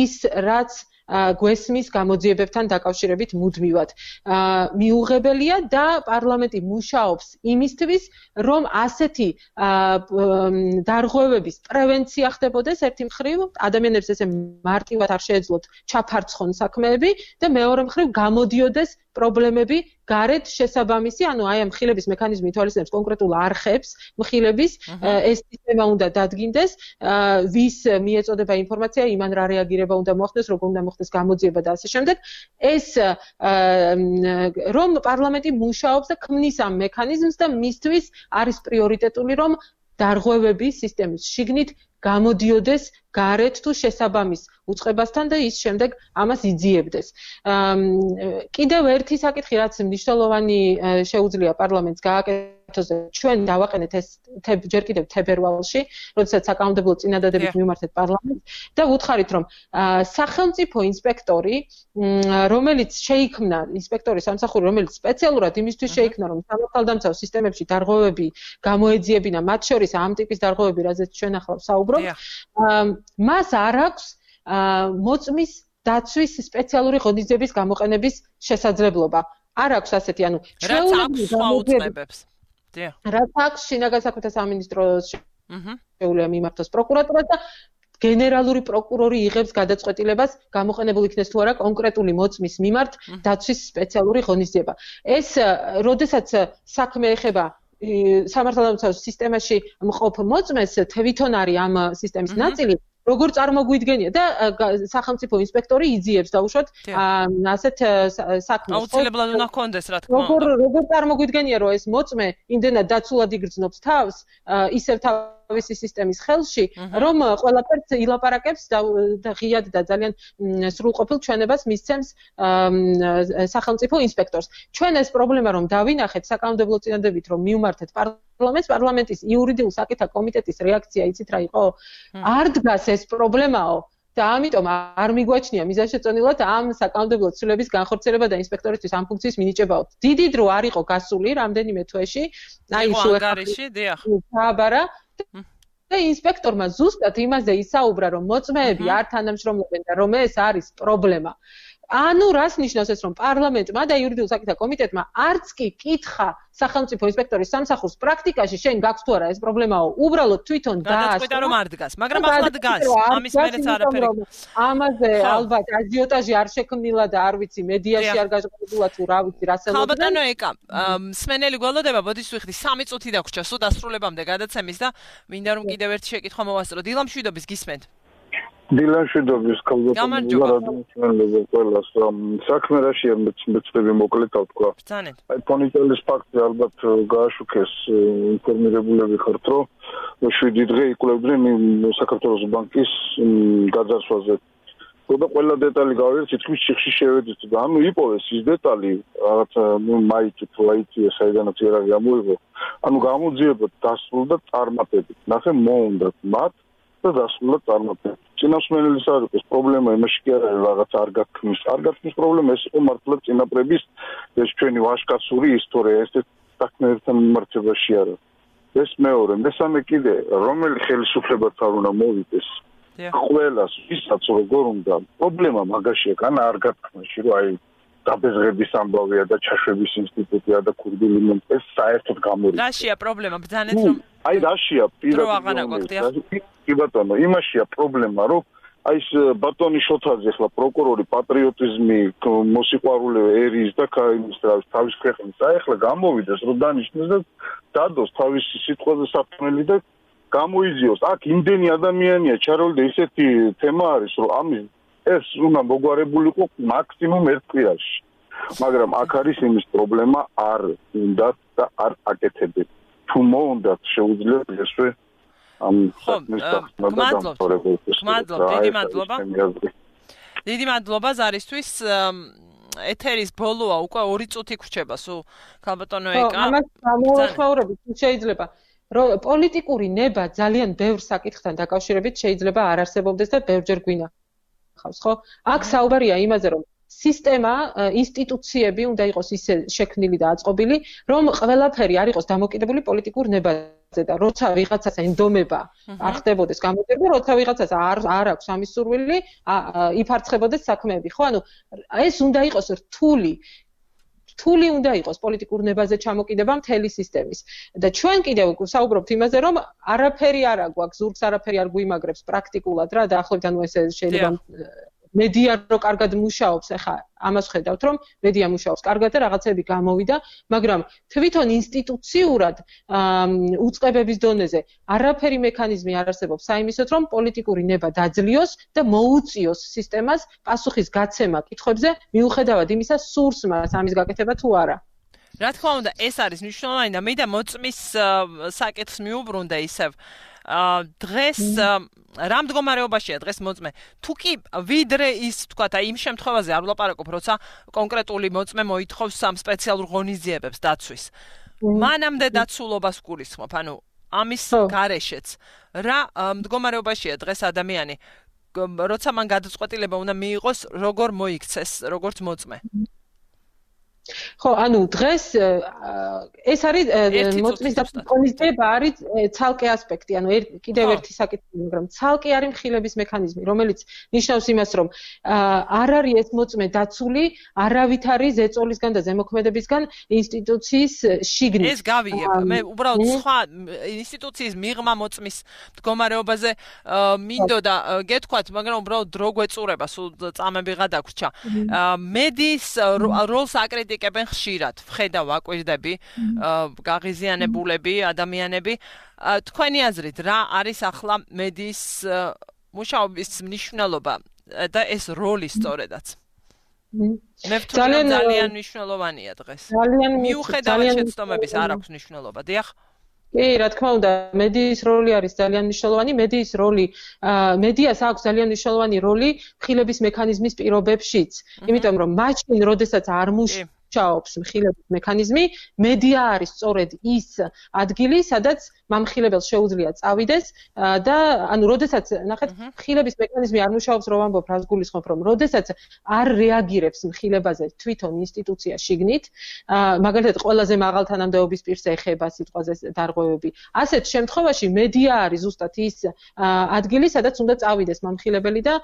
ის, რაც გვესმის გამოძიებებთან დაკავშირებით მუდმივად. მიუღებელია და პარლამენტი მუშაობს იმისთვის, რომ ასეთი დარღვევების პრევენცია ხდებოდეს ერთი მხრივ, ადამიანებს ესე მარტივად არ შეეძლოთ ჩაფარცხონ საქმეები და მეორე მხრივ გამოდიოდეს პრობლემები გარეთ შესაბამისი, ანუ აი ამ მხილების მექანიზმი ითვალისწინებს კონკრეტულ არხებს, მხილების ეს სისტემა უნდა დადგინდეს, ვის მიეწოდება ინფორმაცია, იმან რა რეაგირება უნდა მოხდეს, როგორ უნდა მოხდეს გამოძიება და ასე შემდეგ. ეს რომ პარლამენტი მუშაობს და ქმნის ამ მექანიზმს და მისთვის არის პრიორიტეტული, რომ დარღვევები სისტემის შიგნით გამოდიოდეს გარეთ თუ შესაბამის უწყებასთან და ის შემდეგ ამას იძიებდეს. კიდევ ერთი საკითხი, რაც მნიშვნელოვანი შეუძლია პარლამენტს გააკეთოს, ჩვენ დავაყენეთ ეს ჯერ კიდევ თებერვალში, როდესაც საკანონმდებლო წინადადებით მიმართეთ პარლამენტს და ვუთხარით, რომ სახელმწიფო ინსპექტორი, რომელიც შეიქმნა, ინსპექტორის სამსახური, რომელიც სპეციალურად იმისთვის შეიქმნა, რომ სამართალდამცავ სისტემებში დარღვევები გამოეძიებინა, მათ შორის ამ ტიპის დარღვევები, რაზეც ჩვენ ახლა ვსაუბრობთ, მას არ აქვს მოწმის დაცვის სპეციალური ღონისძიების გამოყენების შესაძლებლობა. არ აქვს ასეთი, ანუ ჩვეულებრივ გამოუწმებებს. დიახ. რაც აქვს შინაგან საქმეთა სამინისტროს შეუძლია მიმართოს პროკურატურას და გენერალური პროკურორი იღებს გადაწყვეტილებას გამოყენებულ იქნეს თუ არა კონკრეტული მოწმის მიმართ დაცვის სპეციალური ღონისძიება. ეს როდესაც საქმე ეხება სამართალდამცავ სისტემაში მყოფ მოწმეს, თვითონ არის ამ სისტემის ნაწილი, როგორ წარმოგვიდგენია და სახელმწიფო ინსპექტორი იძიებს დაუშვათ ასეთ საქმეს. აუცილებლად უნდა ჰქონდეს რა თქმა უნდა. როგორ როგორ წარმოგვიდგენია რომ ეს მოწმე იმდენად დაცულად იგრძნობს თავს ისევ თავისი სისტემის ხელში, რომ ყველაფერს ილაპარაკებს და ღიად და ძალიან სრულყოფილ ჩვენებას მისცემს სახელმწიფო ინსპექტორს. ჩვენ ეს პრობლემა რომ დავინახეთ საკანონმდებლო წინადებით რომ მივმართეთ პარლამენტს, პარლამენტის იურიდიულ საკითხთა კომიტეტის რეაქცია იცით რა იყო? არ დგას ეს პრობლემაო და ამიტომ არ მიგვაჩნია მიზანშეწონილად ამ საკანონმდებლო ცვლილების განხორციელება და ინსპექტორისთვის ამ ფუნქციის მინიჭებაო. დიდი დრო არ იყო გასული რამდენიმე თვეში. აი შუახარიში, დიახ. საბარა და ინსპექტორმა ზუსტად იმაზე ისაუბრა, რომ მოწმეები არ თანამშრომლობენ და რომ ეს არის პრობლემა. ანუ რას ნიშნავს ეს, რომ პარლამენტმა და იურიდიულ საკითხთა კომიტეტმა არც კი კითხა სახელმწიფო ინსპექტორის სამსახურს პრაქტიკაში შენ გაქვს თუ არა ეს პრობლემაო, უბრალოდ თვითონ დაასწრო. გადაწყვიტა რომ არ დგას, მაგრამ ახლა დგას. ამის მერეც არაფერი. ამაზე ალბათ აჟიოტაჟი არ შექმნილა და არ ვიცი მედიაში არ გაჟღერებულა თუ რა ვიცი რა სელოდნენ. ხალბატონო ეკა, მსმენელი გველოდება, ბოდიშ ვიხდი სამი წუთი დაგვრჩა სულ დასრულებამდე გადაცემის და მინდა რომ კიდევ ერთი შეკითხვა მოვასწრო. დილა მშვიდობის გისმენთ? დილანშვიდობის კალბატონი ყველას საქმე რაშია მეცდები მოკლედ ავთქვა. აი ფონიტელის ფაქტზე ალბათ გააშუქეს ინფორმირებულები ხართ, რომ შვიდი დღე იკვლევდნენ საქართველოს ბანკის გაძარცვაზე. და ყველა დეტალი გავიგეთ, თითქმის ციხში შევედით და ანუ იპოვეს ის დეტალი, რაღაც მაიჭი თუ აიცი საიდანაც არ გამოიღო. ანუ გამოძიებოთ დასრულდა და წარმატებით. ნახე მოუნდათ მათ და დასრულდა წარმატებით. წინასწარმეტყველის არ იყოს პრობლემა იმაში კი არ არის რაღაც არ გაქნის არ გაქნის პრობლემა ეს იყო მართლა წინაპრების ეს ჩვენი ვაჟკაცური ისტორია ეს საქმეებთან მიმართებაში არა ეს მეორე მესამე კიდე რომელი ხელისუფლებაც არ უნდა მოვიდეს ყველას ვისაც როგორ უნდა პრობლემა მაგაშია კანა არ გაქნაში რომ აი დაბეზღების ამბავია და ჩაშვების ინსტიტუტია და ქურდული მომ ეს საერთოდ გამორიცხავს რაშია პრობლემა ბძანეთ რომ აი რაშია პირადად კი ბატონო იმაშია პრობლემა რომ აი ეს ბატონი შოთაძე ახლა პროკურორი პატრიოტიზმი მოსიყვარულე ერის და თავის ქვეყნის აი ახლა გამოვიდეს რომ დანიშნოს და დადოს თავისი სიტყვაზე საფრთხელი და გამოიძიოს აქ იმდენი ადამიანია ჩაროლი და ისეთი თემა არის რომ ამის ეს უნდა მოგვარებულიყო მაქსიმუმ ერთ კვირაში მაგრამ აქ არის იმის პრობლემა არ უნდა და არ აკეთებენ თუ მოუნდათ შეუძლია ესვე ამ საქმის მადლობა დიდი მადლობა დიდი მადლობა ზარისთვის ეთერის ბოლოა უკვე ორი წუთი გრჩება სულ ქალბატონო ეკა ამას გამოვახმაურებით შეიძლება რომ პოლიტიკური ნება ძალიან ბევრ საკითხთან დაკავშირებით შეიძლება არ არსებობდეს და ბევრჯერ გვინახავს ხო აქ საუბარია იმაზე რომ სისტემა ინსტიტუციები უნდა იყოს ისე შექმნილი და აწყობილი რომ ყველაფერი არ იყოს დამოკიდებული პოლიტიკურ ნებაზე და როცა ვიღაცას ენდომება არ ხდებოდეს გამოძიება როცა ვიღაცას არ არ აქვს ამის სურვილი იფარცხებოდეს საქმეები ხო ანუ ეს უნდა იყოს რთული რთული უნდა იყოს პოლიტიკურ ნებაზე ჩამოკიდება მთელი სისტემის და ჩვენ კიდევ საუბრობთ იმაზე რომ არაფერი არ აგვაქვს ზურგს არაფერი არ გვიმაგრებს პრაქტიკულად რა და ახლობთან ეს შეიძლება მედია რო კარგად მუშაობს, ახლა ამას ხედავთ, რომ მედია მუშაობს კარგად და რაღაცები გამოვიდა, მაგრამ თვითონ ინსტიტუციურად უწყებების დონეზე არაფერი მექანიზმი არ არსებობს საიმისოდ, რომ პოლიტიკური ნება დაძლიოს და მოუწიოს სისტემას პასუხის გაცემა კითხვებზე, მიუხედავად იმისა, სურს მას ამის გაკეთება თუ არა. რა თქმა უნდა, ეს არის მნიშვნელოვანი და მე და მოწმის საკითხს მიუბრუნდა ისევ დღეს რა მდგომარეობაშია დღეს მოწმე თუ კი ვიდრე ის თქვათ აი იმ შემთხვევაზე არ ვლაპარაკობ როცა კონკრეტული მოწმე მოითხოვს სამ სპეციალურ ღონისძიებებს დაცვის მანამდე დაცულობას გულისხმობ ანუ ამის გარეშეც რა მდგომარეობაშია დღეს ადამიანი როცა მან გადაწყვეტილება უნდა მიიღოს როგორ მოიქცეს როგორც მოწმე ხო, ანუ დღეს ეს არის მოწმის დაწესება არის ცალკე ასპექტი, ანუ კიდევ ერთი საკითხი, მაგრამ ცალკე არის მხილების მექანიზმი, რომელიც ნიშნავს იმას, რომ არ არის ეს მოწმე დაცული, არავითარი ზეწოლისგან და ზემოქმედებისგან ინსტიტუციის შიგნით. ეს გავიგებ. მე უბრალოდ სხვა ინსტიტუციის მიღმა მოწმის მდგომარეობაზე მინდოდა გეთქვათ, მაგრამ უბრალოდ დრო გვეწურება, სულ წამები გადაგვრჩა. მედიის როლს აკრიტიკებენ იკებენ ხშირად, ვხედავ აკვირდები, გაღიზიანებულები, ადამიანები. თქვენი აზრით, რა არის ახლა მედიის მუშაობის მნიშვნელობა და ეს როლი სწორედაც. მე ვთვლი ძალიან მნიშვნელოვანია დღეს. მიუხედავად შეცდომების არ აქვს მნიშვნელობა. დიახ. კი, რა თქმა უნდა, მედიის როლი არის ძალიან მნიშვნელოვანი. მედიის როლი, მედიას აქვს ძალიან მნიშვნელოვანი როლი ხილების მექანიზმის პირობებშიც. იმიტომ რომ მაშინ, როდესაც არ მუშაობს ხილების მექანიზმი, მედია არის სწორედ ის ადგილი, სადაც მამხილებელს შეუძლია წავიდეს და ანუ როდესაც ნახეთ, ხილების მექანიზმი არ მუშაობს, რომ ამბობ, რას გულისხმობ, რომ როდესაც არ რეაგირებს ხილებაზე თვითონ ინსტიტუცია შიგნით, მაგალითად, ყველაზე მაღალ თანამდებობის პირს ეხება სიტყვაზე დარღვევები. ასეთ შემთხვევაში მედია არის ზუსტად ის ადგილი, სადაც უნდა წავიდეს მამხილებელი და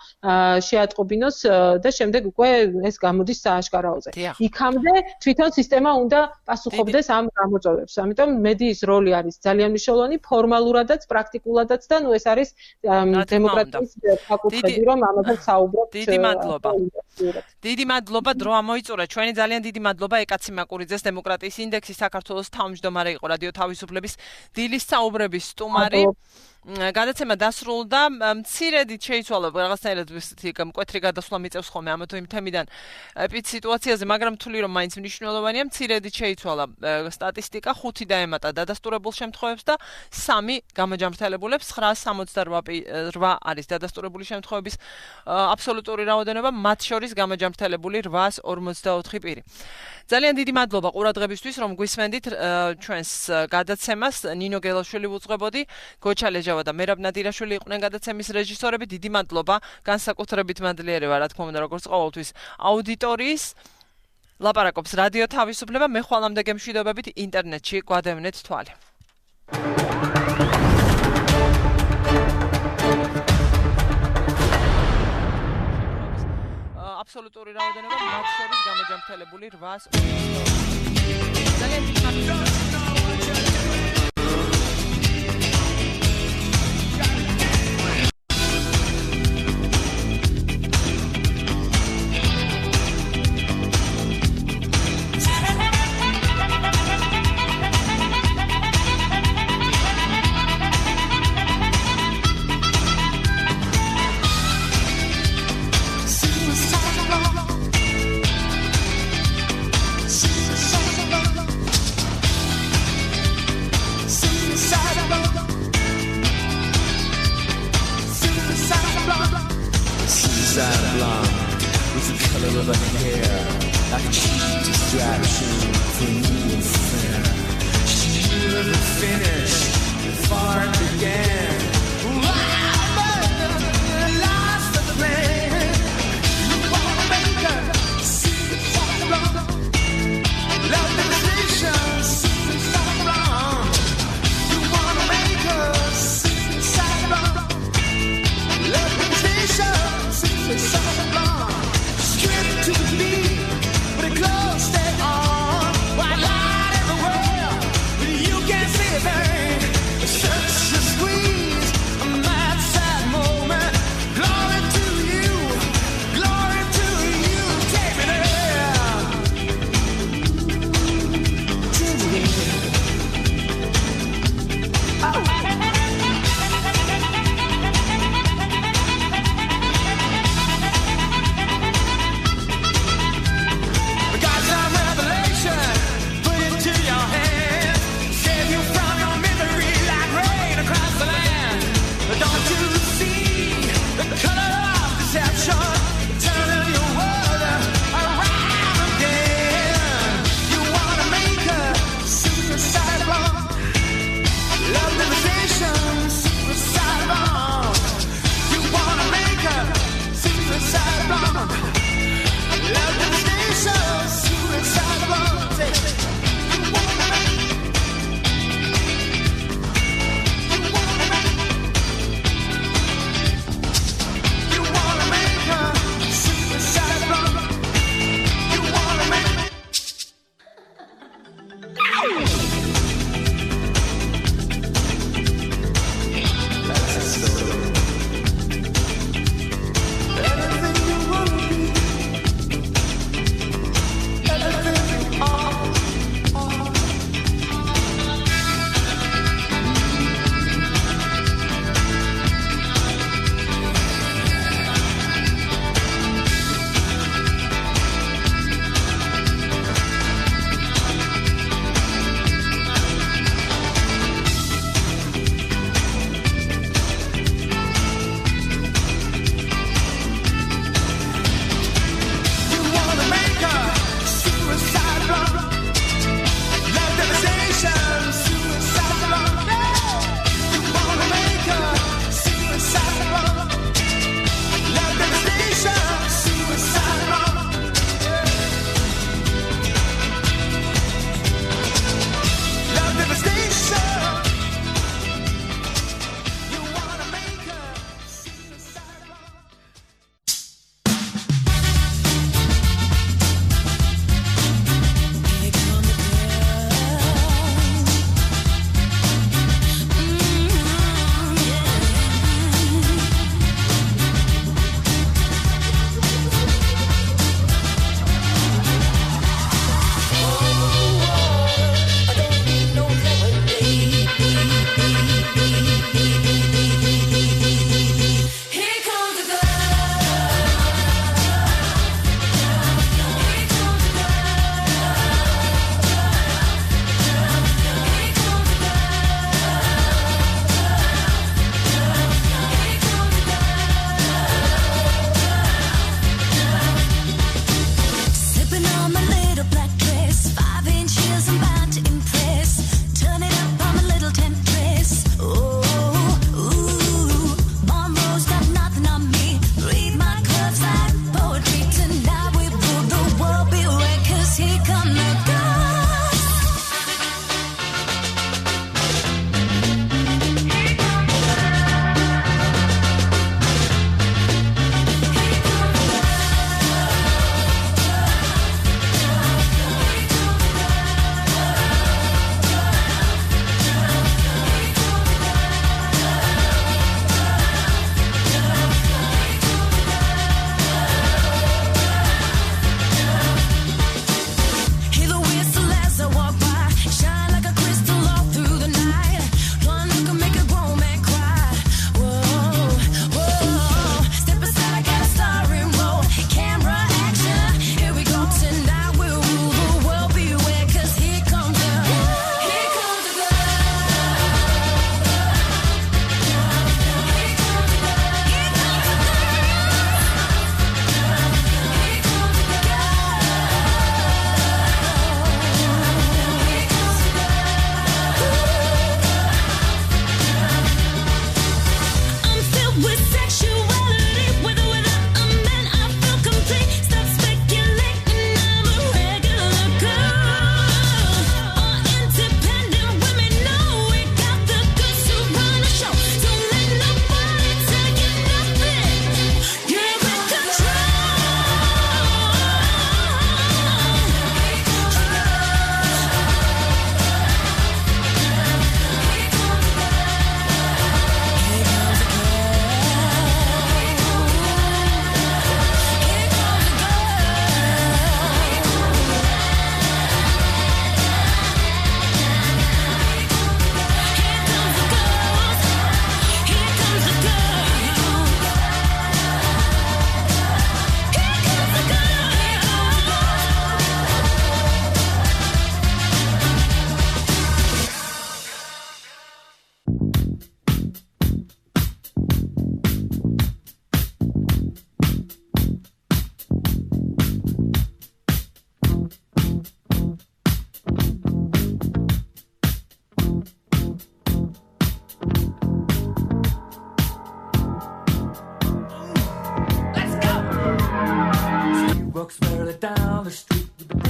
შეატყობინოს და შემდეგ უკვე ეს გამოდის სააშკარაოზე. იქამდე თვითონ სისტემა უნდა პასუხობდეს ამ გამოწვევებს. ამიტომ მედიის როლი არის ძალიან მნიშვნელოვანი, ფორმალურადაც, პრაქტიკულადაც და ნუ ეს არის დემოკრატიის ფაკულტეტი, რომ ამაზე საუბრობთ. დიდი მადლობა. დიდი მადლობა, დრო ამოიწურა. ჩვენი ძალიან დიდი მადლობა ეკაცი მაკურიძეს, დემოკრატიის ინდექსის საქართველოს თავმჯდომარე იყო რადიო თავისუფლების დილის საუბრების სტუმარი. გადაცემა დასრულდა, მცირედით შეიცვალა რაღაცნაირად ისეთი მკვეთრი გადასვლა მიწევს ხოლმე ამ თემიდან ეპიდ სიტუაციაზე, მაგრამ თვლი რომ მაინც მნიშვნელოვანია, მცირედით შეიცვალა სტატისტიკა, ხუთი დაემატა დადასტურებულ შემთხვევებს და სამი გამოჯამრთელებულებს, ცხრაას სამოცდარვა არის დადასტურებული შემთხვევების აბსოლუტური რაოდენობა, მათ შორის გამოჯამრთელებული რვაას ორმოცდაოთხი პირი. ძალიან დიდი მადლობა ყურადღებისთვის, რომ გვისმენდით ჩვენს გადაცემას. ნინო გელაშვილი ვუძღვებოდი, გოჩა ლეჟავა და მერაბ ნადირაშვილი იყვნენ გადაცემის რეჟისორები. დიდი მადლობა, განსაკუთრებით მადლიერება, რა თქმა უნდა, როგორც ყოველთვის აუდიტორიის. ლაპარაკობს რადიო თავისუფლება, მე ხვალამდე გემშვიდობებით ინტერნეტში გვადევნეთ თვალი. აბსოლუტური რაოდენობა, მათ შორის გამოჯამრთელებული რვაას ძალიან დიდი Straight to the beat, but it close, stay on. Why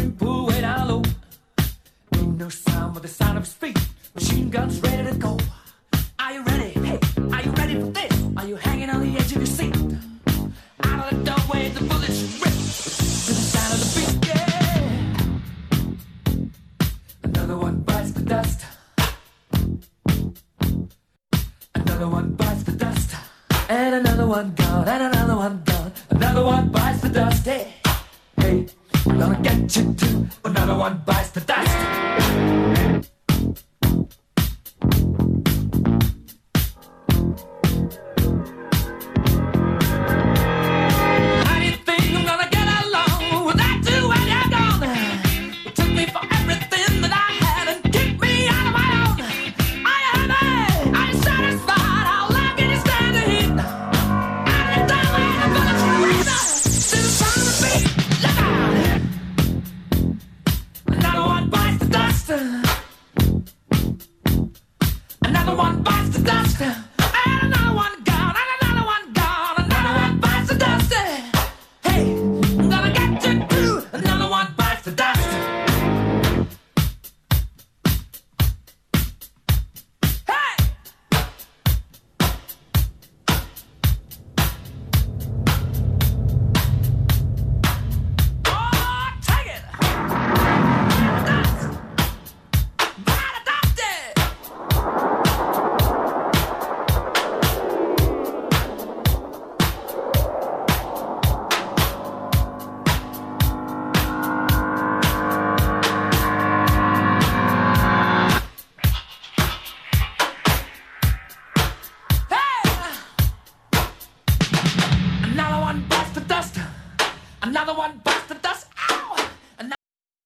swimming pool way down low. Ain't no sound but the sound of his feet. Machine guns ready to go. Are you ready? Hey, are you ready for this? Are you hanging on the edge of your seat? Out of the doorway, the bullets rip to the sound of the beat. Yeah. Another one bites the dust. Another one bites the dust. And another one gone. And another one gone. Another one bites the dust. Hey, hey, I'm gonna get you too. Another one bites the dust. Another one bites the dust.